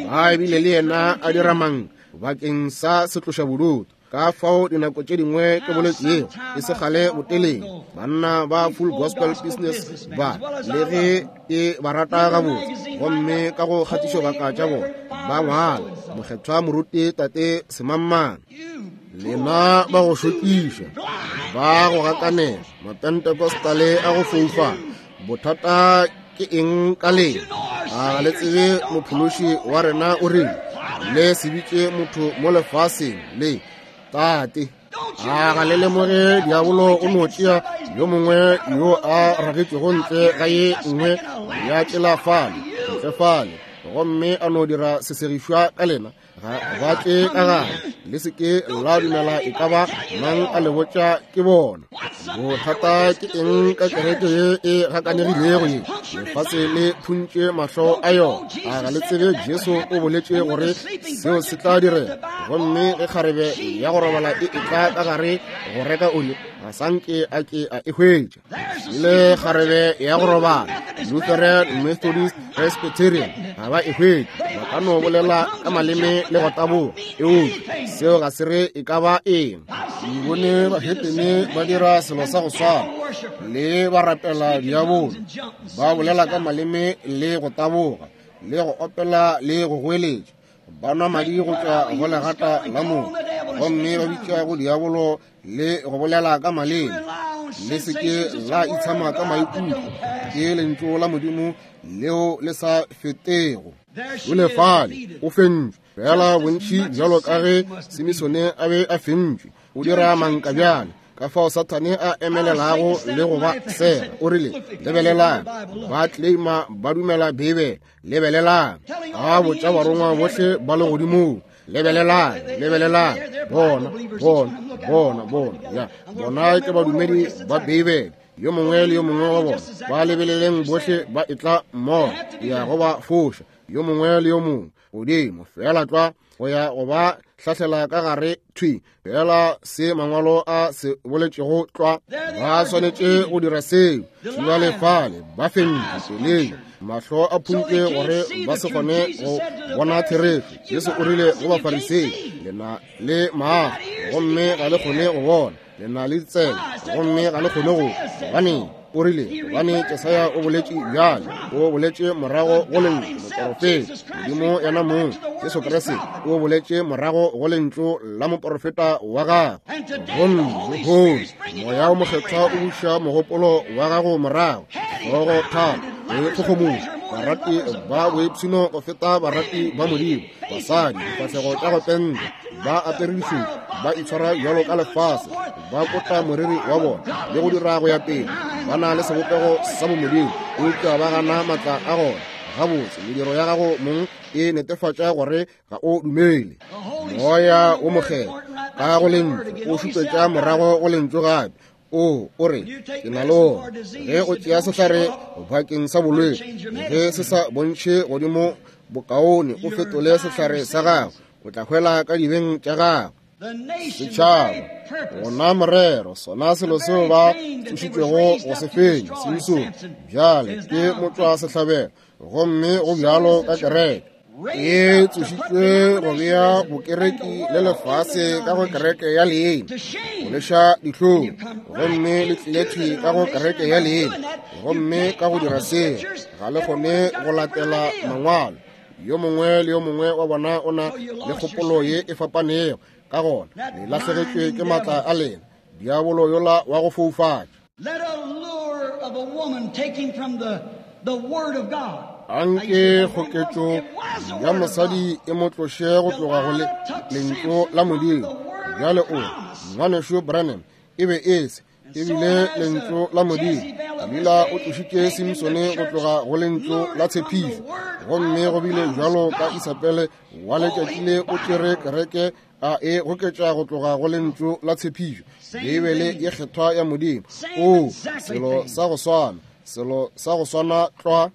Ba bile le yena a dira mang bakeng sa setlošabodutu. Ka fao dinako tše dingwe ke boletšego e se kgale boteleng, banna ba Full Gospel Business ba, le ge ke ba rata gabotse, gomme ka go kgatišobaka tša bona ba ngwala mokgethwa moruti tate semangmang, lena ba go šokiša, ba go gakanela, mapentecostale a go foufala, bothata ke eng ka lena? A le tsebe mophološi wa rena o rile, le se bitše motho mo lefaseng le tate? A ga le lemoge diabolo o no tšea yo mongwe yo a ragetšwego ntle ga ye nngwe ya tšela fale, ntle fale, gomme a no dira sesegišwa ka lena? Ga ba tle ka gare, le se ke la dumela e ka ba mang a le botša ke bona. Bothata ke eng ka kereke ye e gakanegilego ye? Lefase le phuntše mahlo a yona. A ga le tsebe Jesu o boletše gore seo se tla direga? Gomme ge kgarebe ya go robala e etla ka gare go reka oli, ga sa nke a ke a e hwetša. Le kgarebe ya go robala, Lutheran, Methodist, Presbyterian, ga ba e hwetše. Ba ka no bolela ka maleme le go taboga, eupša seo ga se re e ka ba eng. Ke bone bahetene ba dira selo sa go swana, le ba rapela diabolo, ba bolela ka maleme le go taboga, le go opela le go goeletša, ba nwa madi go tšwa go legata la motho, gomme ba bitša go diabolo le go bolela ka maleme. Le se ke la itshama ka maikutlo, ke lentšu la Modimo leo le sa fetego. O le fale, o fentšwe, fela bontši bjalo ka ge Simisone a be a fentšwe. O dira manka bjale, ka fao Sathane a emelelago le go ba sega. O rile, lebelelang, ba claima ba dumela Beibele. Lebelelang, a botša barongwa bohle ba legodimong. Lebelelang, lebelelang, bona, bona, bona, bona, ya, bona ke badumedi ba Beibele. Yo mongwe le yo mongwe wa bona, ba lebeleleng bohle ba etla mmogo, ya go ba foša, yo mongwe le yo mongwe, godimo feela tlwa go ya go ba hlahlela ka gare thwi fela se mangwalo a se boletšego tlwa. Ba swanetše go dira seo. Bjale fale ba fentše peleng, mahlo a phuntšwe gore ba se kgone go bona therešo. Jesu o rile go Bafarisei, le na le maahlo gomme ga le kgone go bona, le na le ditsebe gomme ga le kgone go. Gobaneng? O rile, gobane Jesaya o boletše bjale, o boletše morago go lentšu moporofeta. Modimo yena mong, Jesu Kriste, o boletše morago go lentšu la moporofeta wa gagwe. Gomme lehono Moya o Mokgethwa o buša mogopolo wa gago morago, hlogo thata le kgogomošo, barati ba boipshino go feta barati ba Modimo, basadi difahlego tša go penta, ba apere dišupo, ba itshwara bjalo ka lefase, ba kota moriri wa bona le go dira go ya pele, ba na le sebopego sa bomodimo, eupša ba gana maatla a gona. Gabotse, mediro ya gago mong e netefatša gore ga o dumele. Moya wo Mokgethwa ka go lentšu o šupetša morago go lentšu gape. O o re, ke na le ona. Ge o tšea sehlare bakeng sa bolwetši, ge se sa bontšhe godimo bokaone o fetole sehlare sa gago, o tla hwela ka dibeng tša gago. Setšhaba, gona morero, sona selo seo ba tsošitšwego go se fenya, Simsone, bjale ke motšwa sehlabelo, gomme go bjalo ka kereke e tsošitšwe go bea bokereki le lefase ka go kereke ya leina, go leša dihlong, gomme le tlile thwi ka go kereke ya leina, gomme ka go dira seo ga le kgone go latela mangwalo. Yo mongwe le yo mongwe wa bona o na le kgopolo ye e fapanego, ka gona le lahlegetšwe ke maatla a lena, diabolo yola wa go foufatša. Anke kgoketšo ya mosadi e mo tloše go tloga go lentšu la Modimo. Bjale o re, Ngwanešu Branham, e be e se, e bile lentšu la Modimo. Delila o tlošitše Simsone go tloga go lentšu la tshepišo, gomme go bile bjalo ka Isabele wa letšatši le o tšere kereke a e goketša go tloga go lentšu la tshepišo, Beibele ye kgethwa ya Modimo. O selo sa go swana, selo sa go swana tlwa.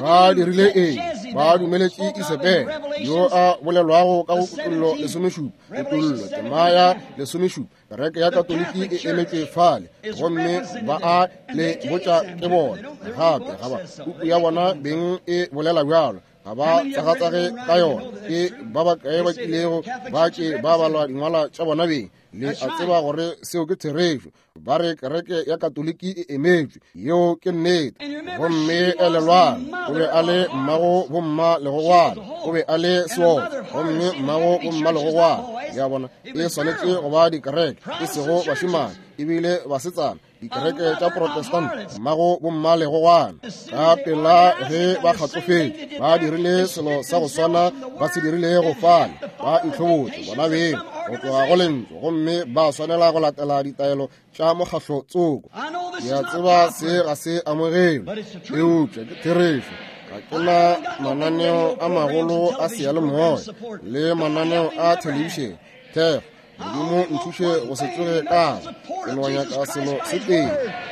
Ba dirile eng? Ba dumeletše Isabele yo a bolelwago ka go Kutollo 17, Kutollo tema ya 17, kereke ya Katoliki e emetšwe fale, gomme ba a le botša ke bona gape ga ba puku ya bona beng e bolela bjalo, ga ba tsagatsage ka yona. Ke ba bakae ba kilego ba ke ba balwa dingwala tša bona beng? Le a tseba gore seo ke therešo. Ba re kereke ya Katoliki e emetšwe, yeo ke nnete. Gomme elelwang, o be a le mmago bomma legogwana, o be a le seotswa, gomme mmago bomma legogwana. Le a bona, e swanetše go ba dikereke, e sego bašemane, ebile basetsana, dikereke tša Protestant, mmago bomma legogwana. Ka pela ge ba kgatlofetše, ba dirile selo sa go swana ba se dirilego fale, ba itlhobotše bona beng go tloga go lentšu, gomme ba swanela go latela ditaelo tša mokgahlo tsoko. Ke a tseba se ga se amogelwe, eupša ke therešo. Ga ke na mananeo a magolo a seyalemoya le mananeo a thelebišene thekgo. Modimo nthuše go se tsoge ka ke no nyaka selo se tee,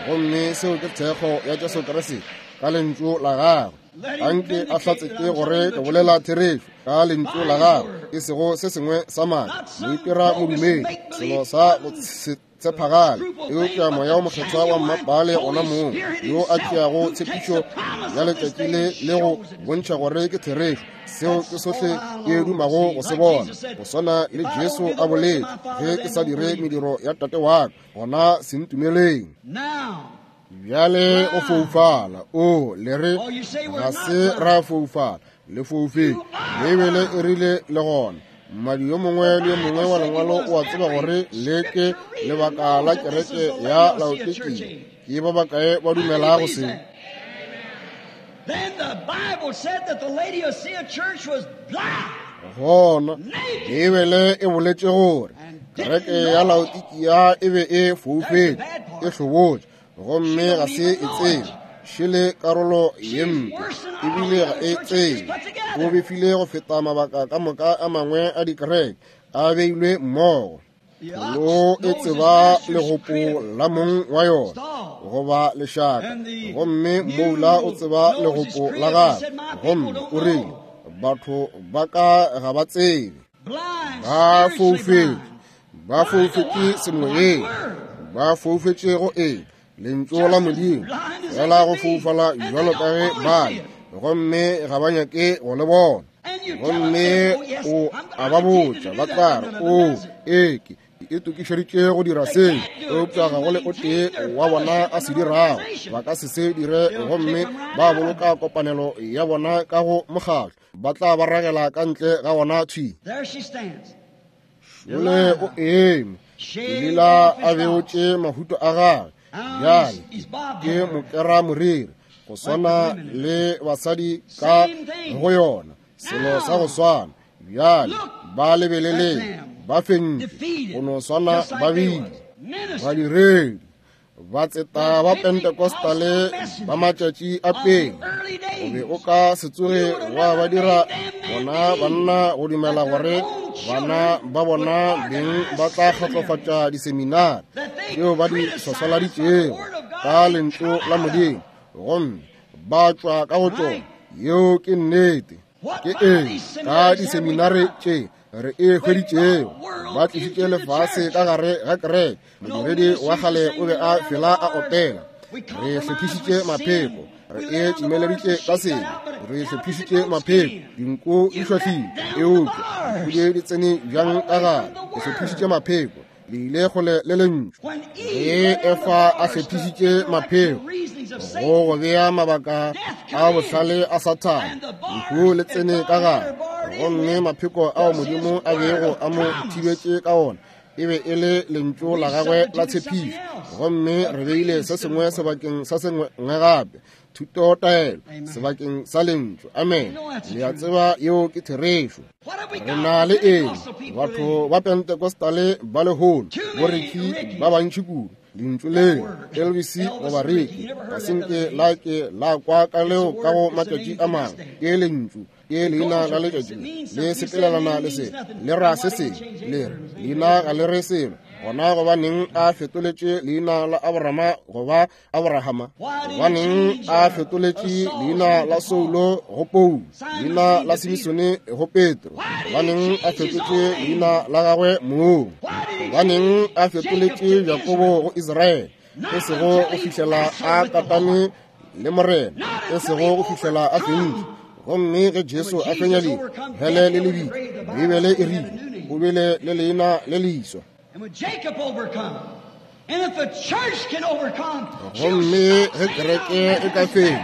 gomme seo ke thekgo ya Jesu Kriste ka lentšu la gagwe. Anke a hlatsetše gore ke bolela therešo ka lentšu la gagwe, e sego se sengwe sa maaka, moitira modumedi, selo sa go se tshepagale, eupša Moya o Mokgethwa wa mmapale ona mong, yo a tšeago tshepišo ya letšatši le le go bontšha gore ke therešo. Seo ke sohle ke dumago go se bona, go swana le Jesu a boletše, ge ke sa dire mediro ya Tate wa ka, gona se ntumeleng. Bjale o foufala. O le re ga se ra foufala, le foufetše. Beibele e rile le gona. Mmadi yo mongwe le yo mongwe wa lengwalo o a tseba gore le ke lebaka la kereke ya Laodikia. Ke ba bakae ba dumelago se? Then the Bible said that the Laodicea church was blind. Gona Beibele e boletše gore kereke ya Laodikia e be e foufetše, e hlobotše, gomme ga se e tsebe. Šele karolo ye mpe, ebile ga e tsebe. O befile go feta mabaka ka moka a mangwe a dikereke a beilwe mmogo. Pholo e tseba legopo la mong wa yona. goba lešaka, gomme moula o tseba legopo la gagwe, gomme o rile, Batho ba ka ga ba tsebe. Ba foufetše, ba foufetše semoyeng, ba foufetše go eng? Lentšu la Modimo, fela go foufala bjalo ka ge ba le, gomme ga ba nyake go le bona. Gomme o a ba botša, ba tla re, O, ee, ke e tokišeditše go dira se, eupša ga go le o tee wa bona a se dirago. Ba ka se se dire, gomme ba boloka kopanelo ya bona ka go mokgatlo. Ba tla ba ragela ka ntle ga wona thwi. Šole o eme, Delila a beotše mahuto a gagwe. Bjale ke mokera moriri, go swana le basadi ka go yona, selo sa go swana. Bjale ba lebeleleng, ba fentšwe, go no swana ba bile badiredi batseta ba Pentecostale ba matšatši a pele. O be o ka se tsoge wa ba dira bona banna go dumela gore bana ba bona beng ba tla kgotsofatša diseminari tšeo ba di swaswaladitšego ka lentšu la Modimo, gomme ba tšwa ka go tšona. Yeo ke nnete. Ke eng ka diseminari tše re e hweditšego? Ba tlišitše lefase ka gare ga kereke. Modiredi wa kgale o be a fela a opela, Re hlophišitše mapheko, re e tšimeleditše ka sebe, re hlophišitše mapheko, dinku di šwahlile, eupša dinku di tsene bjang ka gare? Re hlophišitše mapheko, le ile kgole le lentšu. Ge Efa a hlophišitše mapheko go go bea mabaka a bohlale a Sathane, lehu le tsene ka gare, gomme mapheko ao Modimo a bego a mo thibetše ka ona e be e le lentšu la gagwe la tshepišo. Gomme re beile se sengwe sebakeng sa sengwe gape, thutotaelo sebakeng sa lentšu. Amen. Le a tseba yeo ke therešo. Re na le eng? Batho ba Pentecostale ba lehono, boreki ba bantši kudu, lentšu leo Elvis goba Ricky, ga se nke la ke la kwa ka leo ka go matšatši a mangwe. Ke lentšu, ke leina la letšatši, le sepelelana le se, le ra se sengwe, le re leina ga le re selo. Gona gobaneng a fetoletše leina la Abrahama goba Abrahama? Gobaneng a fetoletše leina la Saulo go Paulo, leina la Simisone go Petro? Gobaneng a fetotše leina la gagwe mong? Gobaneng a fetoletše Jakobo go Israele? E sego go fihlela a katane le Morena, e sego go fihlela a fentše. Gomme ge Jesu a fenya hele le lebitla, Beibele e rile o bile le leina le leswa. Gomme ge kereke e ka fenya,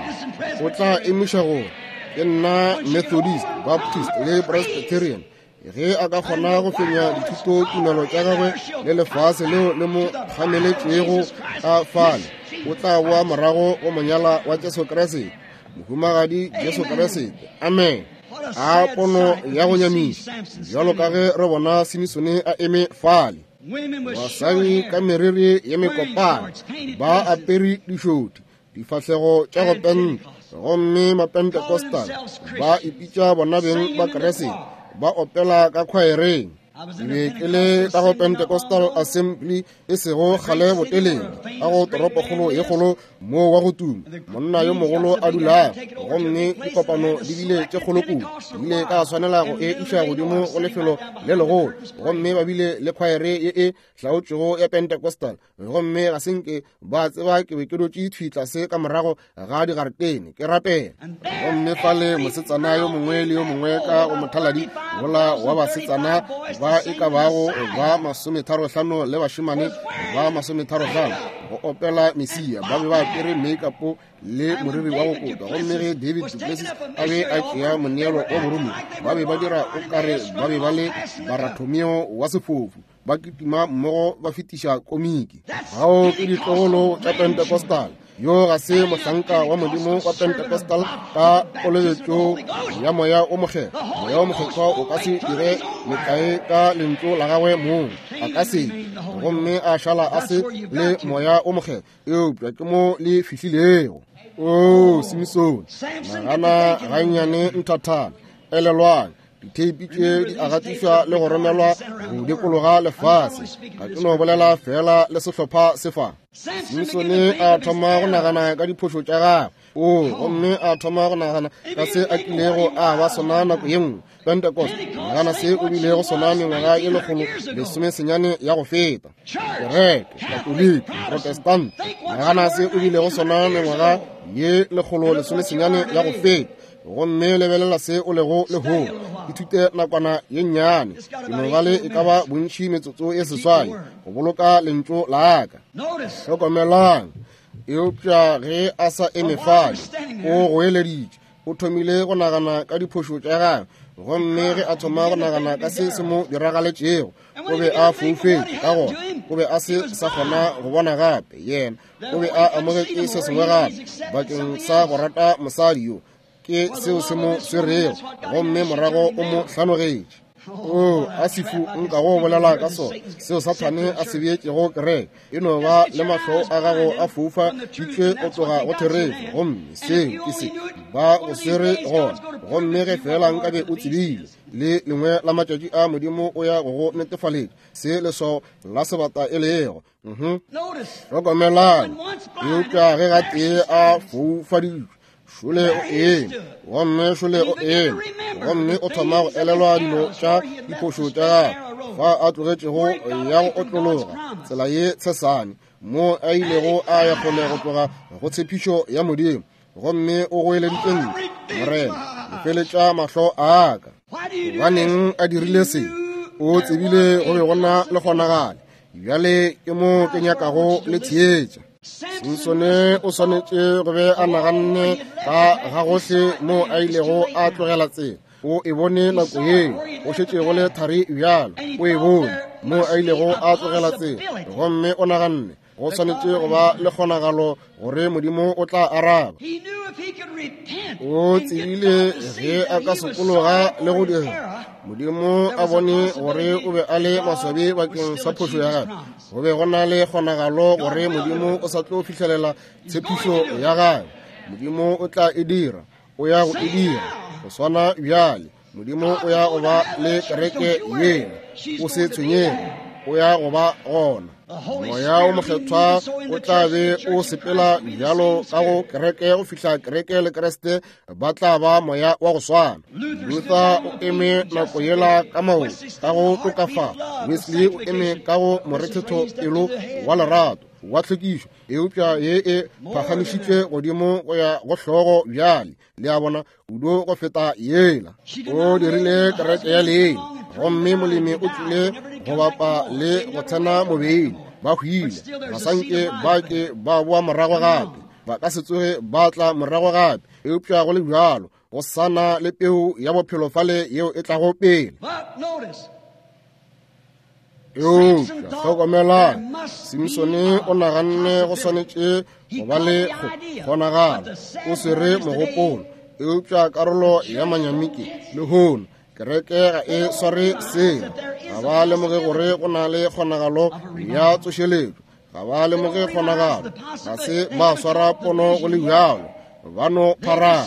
o tla emiša gore ke nna Methodist, Baptist le Presbyterian. Ge a ka kgona go fenya dithutotumelo tša gagwe le lefase leo le mo kgameletšego ka fale, o tla boa morago go monyala wa Jesu Kriste, mohumagadi Jesu Kriste. Amen. A pono ya go nyamiša, bjalo ka ge re bona Simisone a eme fale. Basadi ka meriri ye mekopana, ba apere dišothi, difahlego tša go penta, gomme Mapentecostal ba ipitša bona beng ba Kriste, ba opela ka khwaereng. Ke be ke le ka go Pentecostal Assembly e sego kgale botelele, ka go toropokgolo ye kgolo moo wa go tuma monna yo mogolo a dulago, gomme dikopano di bile tše kgolo kudu, ile ka swanela go e iša godimo go lefelo le legolo, gomme ba bile le khwaere ye e hlaotšwego ya Pentecostal, gomme ga se nke ba tseba ke be ke dutše thwi tlase ka morago ga digaretene ke rapela. Gomme fale mosetsana yo mongwe le yo mongwe ka go mothaladi wola wa basetsana ba e ka bago ba 35 le bašemane ba 35 go opela Mesia, ba be ba apere make-up le moriri wa go kotwa. Gomme ge David duPlessis a be a tšea moneelo wa boromiwa, ba be ba dira o kare ba be ba le Barathomeo wa sefofu, ba kitima mmogo ba fetiša komiki. Bao ke ditlogolo tša Pentecostal. Yo ga se mohlanka wa Modimo wa Pentecostal ka kolobetšo ya Moya o Mokgethwa. Moya o Mokgethwa o ka se dire metlae ka lentšu la gagwe mong, a ka se, gomme a šala a se le Moya o Mokgethwa. Eupša ke mo le fihlilego. O Simisone, nagana gannyane nthathana. Elelwang, Ditheipi tše di a gatišwa le go romelwa go dikologa lefase. Ga ke no bolela feela le sehlopha se fa. Simsone a thoma go nagana ka diphošo tša gagwe. O, gomme a thoma go nagana ka se a kilego a ba sona nako ye nngwe. Pentecost, nagana se o bilego sona mengwaga ye 119 ya go feta. Kereke, Katoliki, Protestant, nagana se o bilego sona mengwaga ye 119 ya go feta. Gomme lebelela se o lego lehono. Ithute nakwana ye nnyane. Ke no ba le e ka ba bontši metsotso ye 8 go boloka lentšu la ka. Hlokomelang. Eupša ge a sa eme fale, o goeleditše. O thomile go nagana ka diphošo tša gagwe, gomme ge a thoma go nagana ka se se mo diragaletšego, o be a foufetše, ka gona o be a se sa kgona go bona gape. Yena o be a amogetše se sengwe gape bakeng sa go rata mosadi yo, ke seo se mo swerego, gomme morago o mo hlanogetše. O, a sefu nka go bolela ka sona, seo Sathane a se beetšego kereke. E no ba le mahlo a gago a foufa ditšwe go tloga go therešo, gomme seo ke se ba go swere gona. Gomme ge feela nkabe o tsebile, le lengwe la matšatši a Modimo o ya go go netefaletša se leswao la sebata e lego. Hlokomelang, eupša ge gatee a foufaditšwe, šole o eme, gomme šole o eme, gomme o thoma go elelwa dilo tša diphošo tša gagwe, fa a tlogetšego ya go otlologa tsela ye tshesane, mo a ilego a ya kgole go tloga go tshepišo ya Modimo, gomme o goeleditše ntle, Morena, lefeletša mahlo a ka. Gobaneng a dirile se? O tsebile go be go na le kgonagalo. Bjale ke mo ke nyakago le theetša. Simsone o swanetše go be a naganne ka ga gohle mo a ilego a tlogela tsela. O e bone nako yeo go šetše go le thari bjalo. O e bone mo a ilego a tlogela tsela, gomme o naganne go swanetše go ba le kgonagalo gore Modimo o tla araba. O tsebile ge a ka sokologa le go dira Modimo a bone gore o be a le maswabi bakeng sa phošo ya gagwe. Go be go na le kgonagalo gore Modimo o sa tlo fihlelela tshepišo ya gagwe. Modimo o tla e dira, o ya go e dira. Go swana bjale, Modimo o ya go ba le kereke yela. O se tshwenyege, o ya go ba gona. Moya o Mokgethwa o tla be o sepela bjalo ka go kereke go fihla kereke le Kriste ba tla ba moya wa go swana. Luther o eme nako yela ka maoto ka go tokafala. Wesley o eme ka go morethetho pelo wa lerato wa tlhwekišo, eupša ye e phagamišitšwe godimo go ya go hlogo bjale. Le a bona, kudu go feta yela. O dirile kereke ya leina, gomme molemi o tlile go bapa le go tsena mobeini. Ba hwile, ga sa nke ba ke ba boa morago gape, ba ka se tsoge ba tla morago gape. Eupša go le bjalo, go sa na le peu ya bophelo fale yeo e tlago pele. Eupša hlokomelang, Simsone o naganne go swanetše go ba le kgonagalo, o swere mogopolo. Eupša karolo ya manyami ke lehono kereke ga e sware selo. Ga ba lemoge gore go na le kgonagalo ya tsošeletšo. Ga ba lemoge kgonagalo. Ga se ba swara pono go le bjalo. Ba no pharama.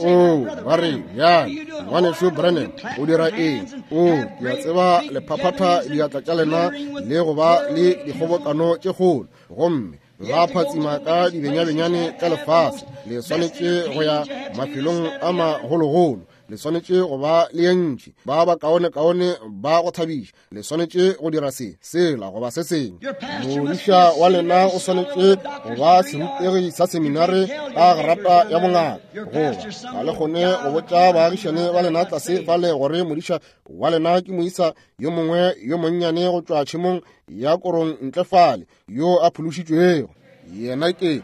O, ba re, bjale, Ngwanešu Branham, o dira eng? O, ke a tseba le phaphatha diatla tša lena le go ba le dikgobokano tše kgolo, gomme la phatsima ka dibenyabenyane tša lefase. Le swanetše go ya mafelong a magologolo. Le swanetše go ba le ye ntši, ba bakaonekaone ba go thabiša. Le swanetše go dira se, sela, goba se sengwe. Modiša wa lena o swanetše go ba serutegi sa seminare ka grata ya bongaka, goba ga le kgone go botša baagišane ba lena tlase fale gore modiša wa lena ke moisa yo mongwe yo monnyane go tšwa tšhemong ya korong ntle fale yo a phološitšwego. Yena ke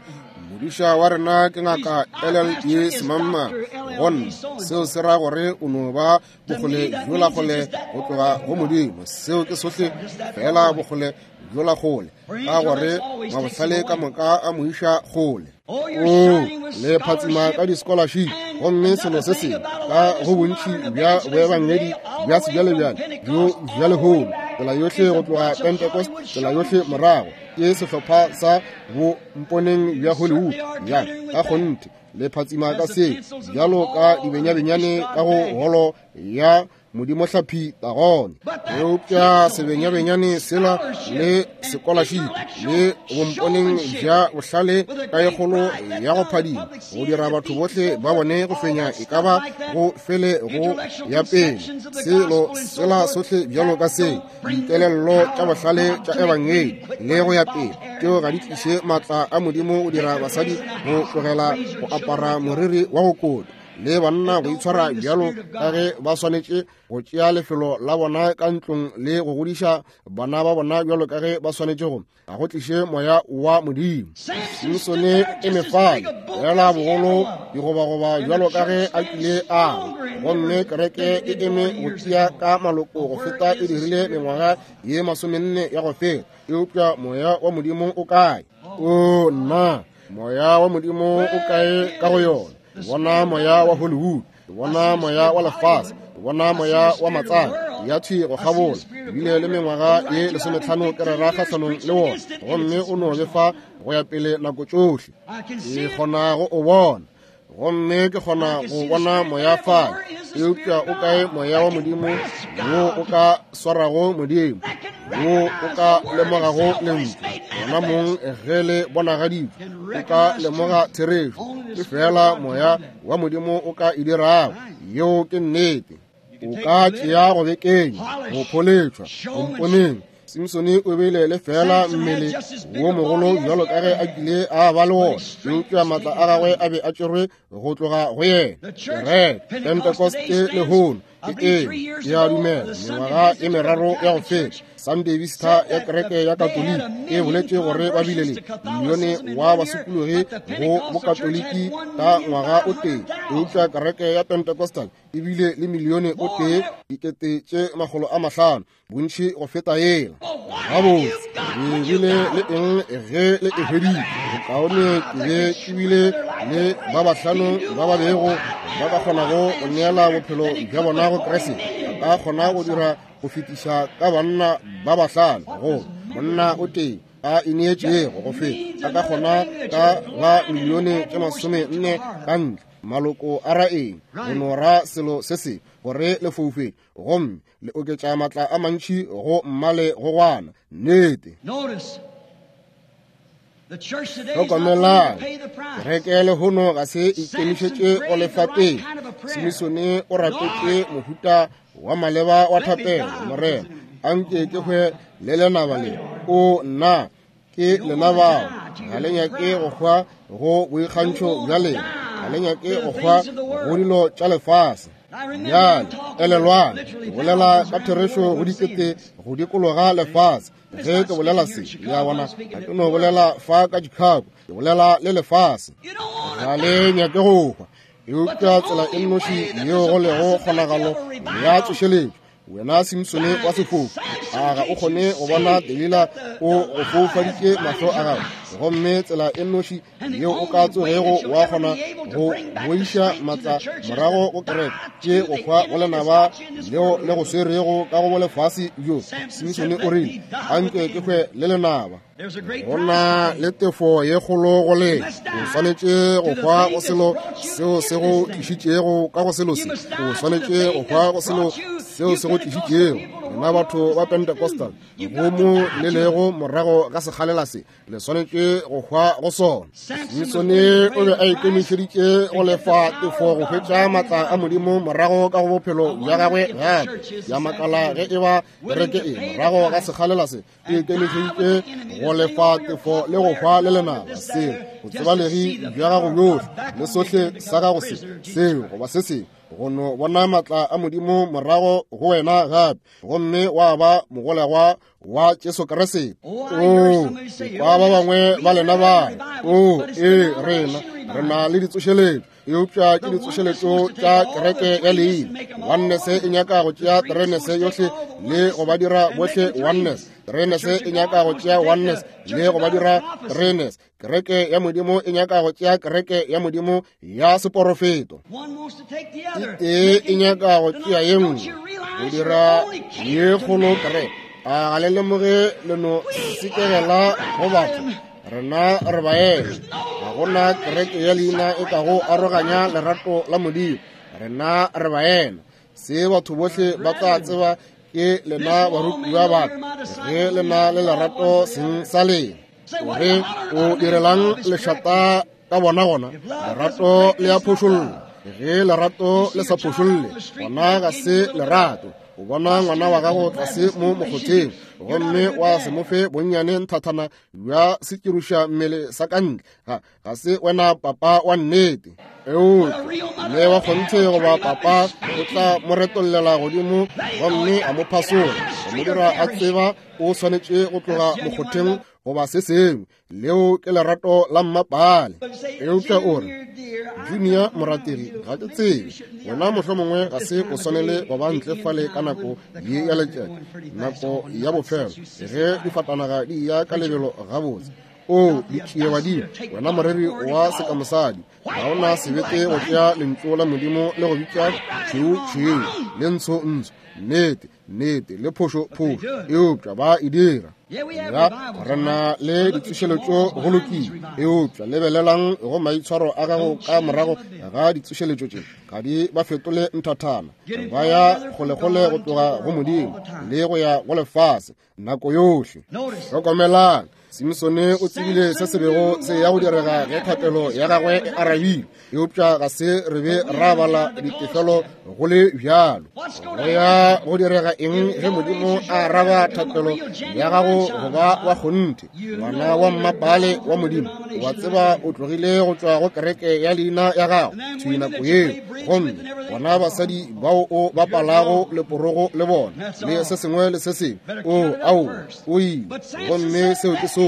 modiša wa rena, ke ngaka LLD Semamma. Gonna seo se ra gore o no ba bokgole bjola kgole go tloga go Modimo. Seo ke sohle fela, bokgole bjola kgole, ka gore mabohlale ka moka a mo iša kgole. O le phatsima ka di-scholarship, gomme selo se sengwe ka go bontši bja boebangedi bja sebjalebjale bjo bja lehono, tsela yohle go tloga Pentecost, tsela yohle morago, ke sehlopha sa bo mponeng bja Hollywood. Ya ka kgonthe. Le phatsima ka se bjalo ka dibenyabenyane ka go holo ya modimohlaphi Dagone. Eupša sebenyabenyane sela le sekolašipi le bomponeng bja bohlale ka ye kgolo ya go phadima go dira batho bohle ba bone go fenya e ka ba go fele go ya pele selo sela sohle bjalo ka se dikelello tša bohlale tša ebangedi le go ya pele tšeo ga di tliše maatla a modimo go dira basadi go tlogela go apara moriri wa go kota le banna go itshwara bjalo ka ge ba swanetše go tšea lefelo la bona ka ntlong le go godiša bana ba bona bjalo ka ge ba swanetše go ga go tliše moya wa modimo. Simsone e mefale fela bogolo digobagoba bjalo ka ge a kile a gomme kereke e eme go tia ka maloko go feta e dirile mengwaga ye 40 ya go feta. Eupša moya wa modimo o kae? O nna, moya wa modimo o kae ka go yona? Bona moya wa Hollywood, bona moya wa lefase, bona moya wa matsana ya thwi go kgabola. Bile le mengwaga ye 15 ke rera kgahlanong le wona, gomme o no befa go ya pele nako tšohle. Ke kgona go o bona, gomme ke kgona go bona moya fale. Eupša o kae moya wa modimo wo o ka swarago modimo, wo o ka lemogago lentšu gona mong ge le bonagaditšwe? O ka lemoga therešo. Ke fela moya wa modimo o ka e dirago. Yeo ke nnete. O ka tšea go bekenya, go pholetšwa, go mponeng. Simsone o bile le fela mmele wo mogolo bjalo ka ge a kile a ba le wona, eupša maatla a gagwe a be a tšerwe go tloga go yena. Kereke Pentekoste lehono ke eng? Ke a dumela mengwaga e meraro ya go feta Sunday Vista ya kereke ya Katoliki e boletše gore ba bile le milione wa basokologi go bokatoliki ka ngwaga o tee, eupša kereke ya Pentecostal e bile le milione o tee 500,000, bontši go feta yela. Gabotse, le bile le eng ge le e hweditše? Bokaone ke be ke bile le ba bahlano ba ba bego ba ka kgonago go neela bophelo bja bona go Kriste. Ba ka kgona go dira go fetiša ka banna ba bahlano go monna o tee a ineetšego go feta a ka kgona ka ba milione tše 40 ka ntle. Maloko a ra eng? Go no ra selo se se gore le foufetše, gomme le oketša maatla a mantši go mmale go gwana. Nnete. Hlokomelang, kereke lehono ga se ikemišetše go lefa pele. Simisone o rapetše mohuta wa maleba wa thapelo. Morena, anke ke hwe le lenaba le. O nna ke lena bao ga le nyake go hwa go boikgantšho bja lena, ga le nyake go hwa go dilo tša lefase. Bjale elelwang, ke bolela ka therešo go dikete go dikologa lefase. Ge ke bolela se, le a bona, ga ke no bolela fa ka Chicago, ke bolela le lefase. Ga le nyake go hwa, eupša tsela e nnoši yeo go lego kgonagalo ya tsošeletšo. Wena Simsone wa sefofu, a ga o kgone go bona Delila o go foufaditše mahlo a gago? Gomme tsela e nnoši yeo o ka tsogego wa kgona go boiša maatla morago go kereke ke go hwa go lenaba leo le go swerego ka go bolefase bjo. Simsone o rile, anke ke hwe le lenaba. Go na le tefo ye kgolo go le. O swanetše go hwa go selo seo se go tlišitšego ka go selo se. O swanetše go hwa go selo seo se go tlišitšego. Lena batho ba Pentecostal, go mo le lego morago ga sekgalela se, le swanetše go hwa go sona. Simsone o be a ikemišeditše go lefa tefo go hwetša maatla a Modimo morago ka go bophelo bja gagwe gape. Ya makala ge e ba kereke e morago ga sekgalela se e ikemišeditše go lefa tefo le go hwa le lenaba seo botsebalegi bja gago bjohle le sohle sa gago se seo goba se sengwe go no bona maatla a Modimo morago go wena gape, gomme wa ba mogolegwa wa Jesu Kriste. O kwa ba bangwe ba lena ba o ee, rena re na le ditsošeletšo, eupša ke ditsošeletšo tša kereke ya leina. Oneness e nyaka go tšea threeness yohle le go ba dira bohle oneness. Threeness e nyaka go tšea oneness le go ba dira threeness. Kereke ya Modimo e nyaka go tšea kereke ya Modimo ya seporofeto. E tee e nyaka go tšea ye nngwe go dira ye kgolo kereke. A ga le lemoge le no sekegela go batho? Rena re baena. gona kereke ya leina e ka go aroganya lerato la Modimo. Rena re baena. Se batho bohle ba tla tseba ke lena barutiwa ba ka, ge lena le lerato seng sa lena. Gore o direlang lešata ka bona gona? Lerato le a phošolla. Ge lerato le sa phošolle, gona ga se lerato. O bona ngwana wa gago tlase mo mokgotheng, gomme wa se mo fe bonnyane nthathana bja sekiruša mmele sa ka ntle, ga se wena papa wa nnete. Eupša mme wa kgonthe goba papa o tla mo retollela godimo gomme a mo phasola, go mo dira a tseba o swanetše go tloga mokgotheng goba se sengwe. Leo ke lerato la mmapale. Eupša o re, Junior morategi, ga ke tsebe wena mohlomongwe ga se o swanele go ba ntle fale ka nako ye ya letšatši, nako ya bofelo, ge difatanaga di ya ka lebelo gabotse. O ditšiebadimo, wena moreri wa sekamosadi, ga o na sebete go tšea lentšu la Modimo le go bitša tšhweu tšhweu le ntsho ntsho, nnete nnete le phošo phošo, eupša ba e dira. Ya, re na le ditsošeletšo go lokile, eupša lebelelang go maitshwaro a gago ka morago ga ditsošeletšo tše, ga di ba fetole nthathana. Ba ya kgolekgole go tloga go Modimo le go ya go lefase nako yohle. Hlokomelang, Simsone o tsebile se se bego se ya go direga ge thapelo ya gagwe e arabile, eupša ga se re be ra bala ditefelo go le bjalo. Go ya go direga eng ge Modimo a araba thapelo ya gago go ba wa kgonthe, ngwana wa mmapale wa Modimo? Wa tseba o tlogile go tšwa go kereke ya leina ya gago thwi nako yeo, gomme bona basadi bao o bapalago leporogo le bona le se sengwe le se sengwe, o ao o ile, gomme seo ke sohle.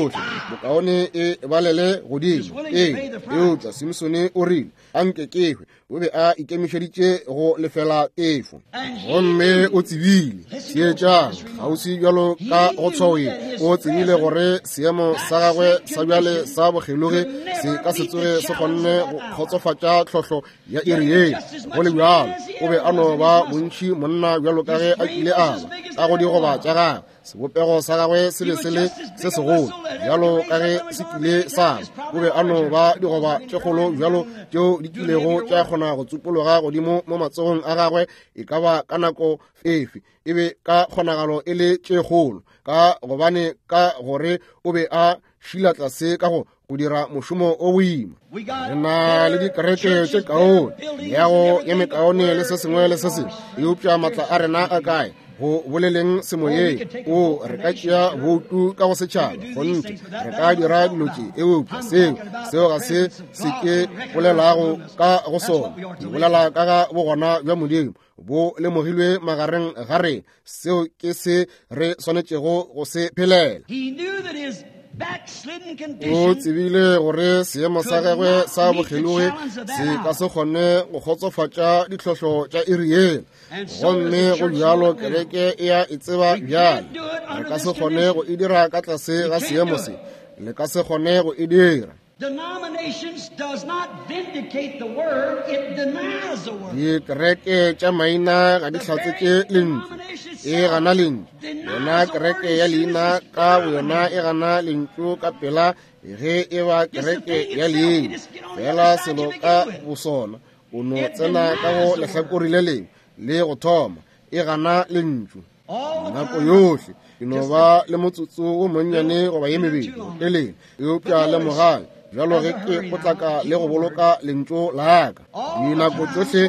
Bokaone e balele godimo. Ee, eupša Simsone o rile, a nke ke hwe. O be a ikemišeditše go lefela tefo, gomme o tsebile. Theetšang kgauswi bjalo ka go tshwao ye, o tsebile gore seemo sa gagwe sa bjale sa bokgelogi se ka se tsoge se kgonne go kgotsofatša tlhohlo ya iri ye. Go le bjalo, o be a no ba bontši monna bjalo ka ge a kile a ba ka go digoba tša gagwe. Sebopego sa gagwe se be se le se segolo bjalo ka ge se kile sa ba. O be a no ba digoba tše kgolo bjalo tšeo di kilego tša kgona go tsupologa godimo mo matsogong a gagwe e ka ba ka nako efe, e be ka kgonagalo e le tše kgolo, ka gobane ka gore o be a šila tlase ka go go dira mošomo o boima. Re na le dikereke tše kaone, meago ye mekaone le se sengwe le se sengwe, eupša matla a rena a kae go boleleng semoyeng? O re ka tšea boutu ka go setšhaba, kgonthe re ka dira dilo tše, eupša seo ga se se ke bolelago ka go sona. Ke bolela ka ga bogona bja Modimo bo lemogilwe magareng ga rena. Seo ke se re swanetšego go se phelela. O tsebile gore seemo sa gagwe sa bokgelogi se ka se kgone go kgotsofatša ditlhohlo tša iri yela, gomme go bjalo kereke e a e tseba bjale. Re ka se kgone go e dira ka tlase ga seemo se, le ka se kgone go e dira. Denominations does not vindicate the word, it denies the word. Dikereke tša maina ga di hlatsetše lentšu, e gana lentšu. Yona kereke ya leina ka boyona e gana lentšu ka pela ge e ba kereke ya leina. Fela selo ka bosona, o no tsena ka go lehlakore le lengwe le go thoma, e gana lentšu. Nako yohle ke no ba le motsotso wo monnyane goba ye mebedi botelele, eupša lemogang bjalo ge ke potlaka le go boloka lentšu la ka. Dinako tšohle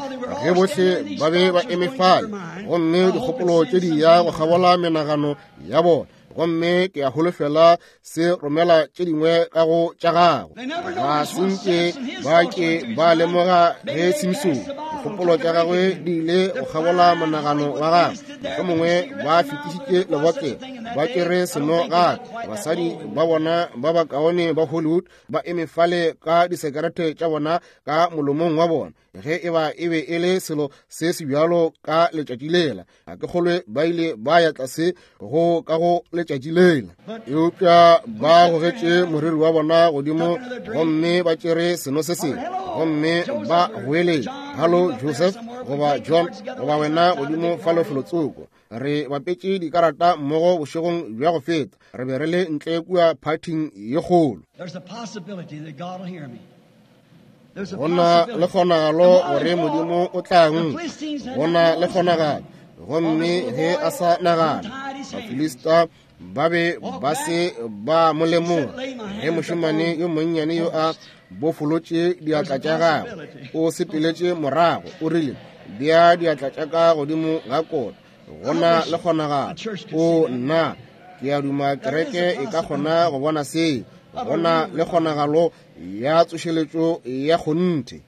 ge bohle ba be ba eme fale, gomme dikgopolo tše di ya go kgabola menagano ya bona, gomme ke a holofela se romela tše dingwe ka go tša gago. Ga se nke ba ke ba lemoga ge Simsone dikgopolo tša gagwe di ile go kgabola monagano wa gagwe. Mohlomongwe ba fetišitše lebotlelo, ba tšere seno gape. Basadi ba bona ba bakaone ba Hollywood ba eme fale ka disekerete tša bona ka molomong wa bona, ge e ba e be e le selo se se bjalo ka letšatši lela. Ga ke kgolwe ba ile ba ya tlase go ka go letšatši lela, eupša ba gogetše moriri wa bona godimo gomme ba tšere seno se sengwe gomme ba goeletša, Hallo Joseph, goba John, goba wena godimo fa lefelotsoko. Re bapetše dikarata mmogo bošegong bja go feta. Re be re le ntle kua phathing ye kgolo. Go na le kgonagalo gore Modimo o tla nkwa. Go na le kgonagalo. Gomme ge a sa nagana, Bafilista ba be ba se ba mo lemoga. Ge mošemane yo monnyane yo a bofolotše diatla tša gagwe, o sepeletše morago, o rile, Bea diatla tša ka godimo ga kota. Go na le kgonagalo. O nna, ke a duma kereke e ka kgona go bona seo. Go na le kgonagalo ya tsošeletšo ya kgonthe.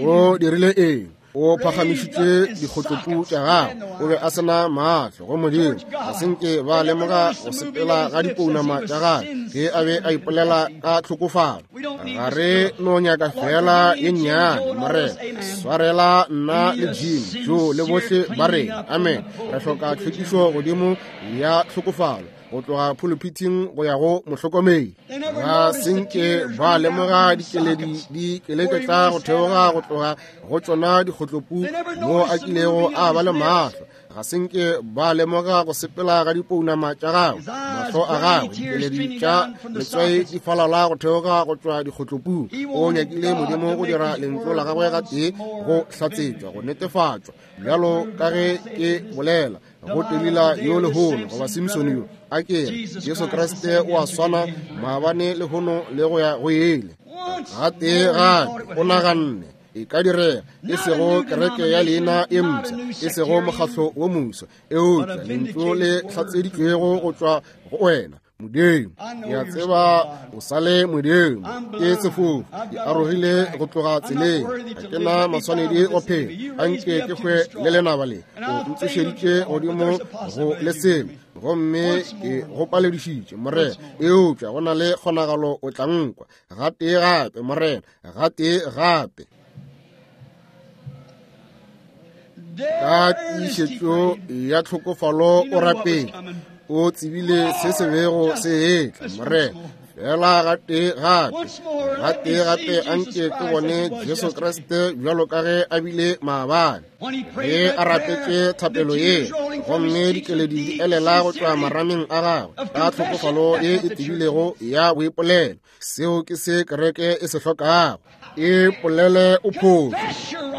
O dirile eng? O phagamišitše dikgotlopu tša gagwe. O be a se na mahlo go Modimo. Ga se nke ba lemoga go sepela ga dipounama tša gagwe ge a be a ipolela ka tlhokofalo. Ga re no nyaka fela ye nnyane, Morena. Swarela nna le Jim, Joe le bohle ba rena. Amen. Re hloka tlhwekišo godimo ya tlhokofalo, go tloga phuluphithing go ya go mohlokomedi. Ga se nke ba lemoga dikeledi di keleketla go theoga go tloga go tšona dikgotlopu mo a kilego a ba le mahlo. Ga se nke ba lemoga go sepela ga dipounama tša gagwe, mahlo a gagwe, dikeledi tša letswai di falala go theoga go tšwa dikgotlopung. O nyakile Modimo go dira lentšu la gagwe gatee go hlatsetšwa, go netefatšwa, bjalo ka ge ke bolela go Delila yo lehono goba Simsone yo, a ke re Jesu Kriste o a swana maabane lehono le go ya go ile. Gatee gape o naganne e ka direga, e sego kereke ya leina e mpsha, e sego mokgahlo wo moswa, eupša lentšu le hlatseditšwego go tšwa go wena, Modimo. Ke a tseba o sa le Modimo. Ke sefofu, ke arogile go tloga tseleng, ga ke na maswanedi go phela. Anke ke hwe le lenaba le. O ntsošeditše godimo go le selo, gomme ke go paledišitše, Morena. Eupša go na le kgonagalo o tla nkwa gatee gape, Morena, gatee gape. Ka tiišetšo ya tlhokofalo o rapele, o tsebile se se bego se etla, Morena. Fela gatee gape, gatee gape anke ke bone Jesu Kriste bjalo ka ge a bile maabane. Ge a rapetše thapelo ye, gomme dikeledi di elela go tšwa marameng a gagwe ka tlhokofalo ye e tebilego ya boipolelo, seo ke se kereke e se hlokago. E polele o phošo.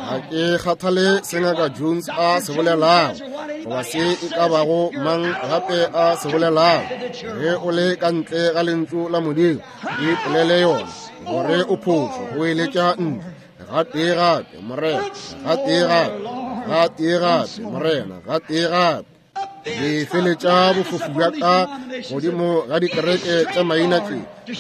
Ga ke kgathale se Ngaka Jones a se bolelago goba se e ka bago mang gape a se bolelago. Ge o le ka ntle ga lentšu la Modimo, e polele yona gore o phošo, go eletša ntle. Gatee gape, Morena, gatee gape, gatee gape, Morena, gatee gape. Lefeletša bofofu bja ka godimo ga dikereke tša maina tše,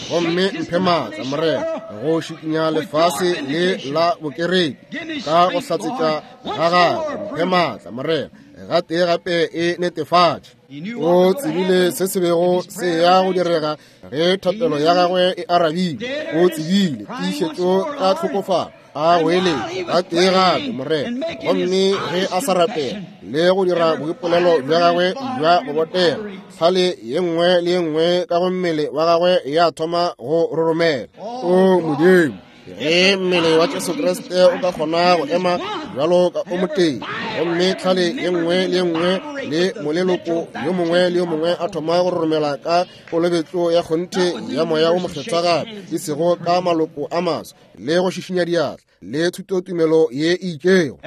gomme mphe maatla, Morena, go šikinya lefase le la bokereki ka go hlatsetša ga gagwe. Mphe maatla, Morena, gatee gape e netefatše. O tsebile se se bego se ya go direga ge thapelo ya gagwe e arabile. O tsebile tiišetšo ka tlhokofalo a goeletša gatee gape, Morena. Gomme ge a sa rapela le go dira boipolelo bja gagwe bja go botega, tlhale ye nngwe le ye nngwe ka go mmele wa gagwe ya thoma go roromela. O Modimo, ge mmele wa Jesu Kriste o ka kgona go ema bjalo ka o motee, gomme tlhale ye nngwe le ye nngwe le moleloko yo mongwe le yo mongwe a thoma go roromela ka kolobetšo ya kgonthe ya Moya wo Mokgethwa gape, e sego ka maloko a maswa le go šišinya diatla le thutotumelo ye e itšego.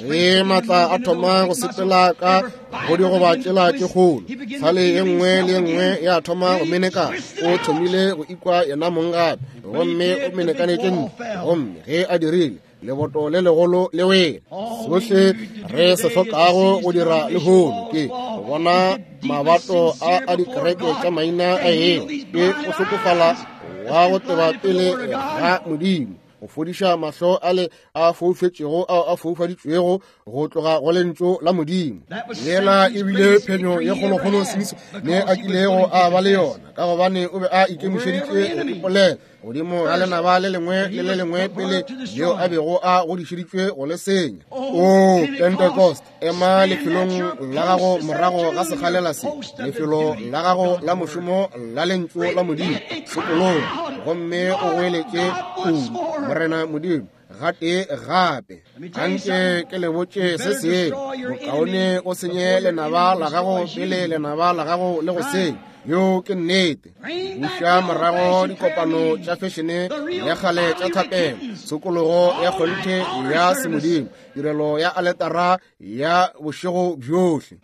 Ge maatla a thoma go sepela ka go digoba tšela tše kgolo, tlhale ye nngwe le ye nngwe ya thoma go menekana. O thomile go ikwa yena mong gape, gomme o menekanetše ntle. Gomme ge a dirile, leboto le legolo le wele. Sohle re se hlokago go dira lehono ke go bona mabato a a dikereke tša maina a eo, ke go hlokofala wa go teba pele ga Modimo, go fodiša mahlo ale a foufetšego ao a foufaditšwego go tloga go lentšu la Modimo. Yela e bile phenyo ye kgolokgolo Simsone a kilego a ba le yona, ka gobane o be a ikemišeditše go ipolela godimo ga lenaba le lengwe le le lengwe pele leo a bego a godišeditšwe go le senya. O Pentecost, ema lefelong la gago morago ga sekgalela se, lefelo la gago la mošomo la lentšu la Modimo, sokologa gomme o goeletše kudu, Morena Modimo. gatee gape. Anke ke le botše se sengwe, bokaone o senye lenaba la gago pele lenaba la gago le go senya. Yeo ke nnete. Buša morago dikopano tša fešene ya kgale tša thapelo, tshokologo ya kgonthe ya semodimo, tirelo ya aletara ya bošego bjohle.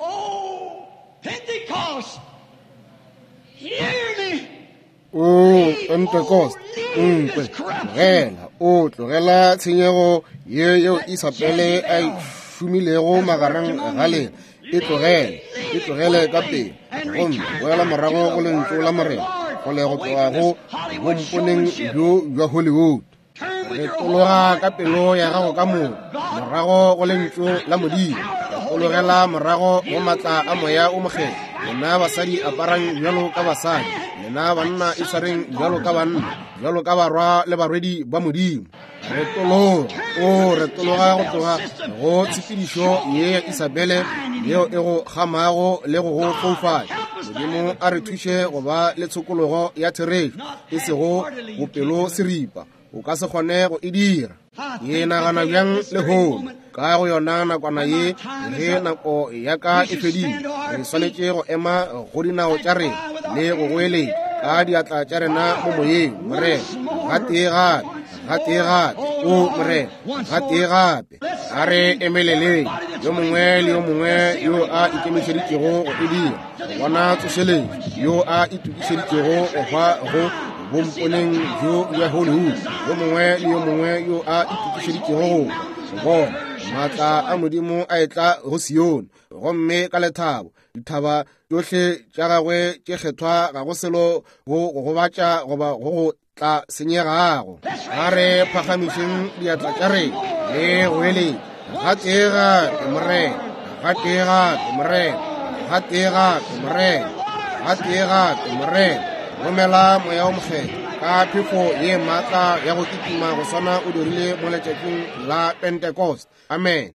O Pentecost, nkwe, tlogela, o tlogela tshenyego ye yeo Isabele a e šomilego magareng ga lena. E tlogele, e tlogele ka pele, gomme boela morago go lentšu la Morena, kgole go tloga go bomponeng bjo bja Hollywood. Retologa ka pelo ya gago ka moka morago go lentšu la Modimo. Retologela morago go maatla a Moya o Mokgethwa. Lena basadi aparang bjalo ka basadi, lena banna itshwareng bjalo ka banna, bjalo ka barwa le barwedi ba Modimo. Retologa, o retologa go tloga go tshepedišo ye ya Isabele yeo e go gamago le go go foufatša. Modimo a re thuše go ba le tshokologo ya therešo, e sego bopelo seripa. O ka se kgone go e dira. Ke nagana bjang lehono, ka go yona nakwana ye, ge nako ya ka e fedile, re swanetše go ema go dinao tša rena le go goeletša ka diatla tša rena mo moyeng, Morena, gatee gape, gatee gape, o Morena, gatee gape. A re emeleleng, yo mongwe le yo mongwe yo a ikemišeditšego go e dira, bona tsošeletšo, yo a itokišeditšego go hwa go bomponeng bjo bja Hollywood, yo mongwe le yo mongwe yo a itokišeditšego go bona maatla a Modimo a etla go Sione, gomme ka lethabo dithaba tšohle tša gagwe tše kgethwa ga go selo go go gobatša goba go go tla senyegago. A re phagamišeng diatla tša rena le go eletša, gatee gape, Morena, gatee gape, Morena, gatee gape, Morena, gatee gape, Morena. Romela Moya o Mokgethwa ka phefo ye maatla ya go kitima go swana o dirile mo letšatšing la Pentecost. Amen.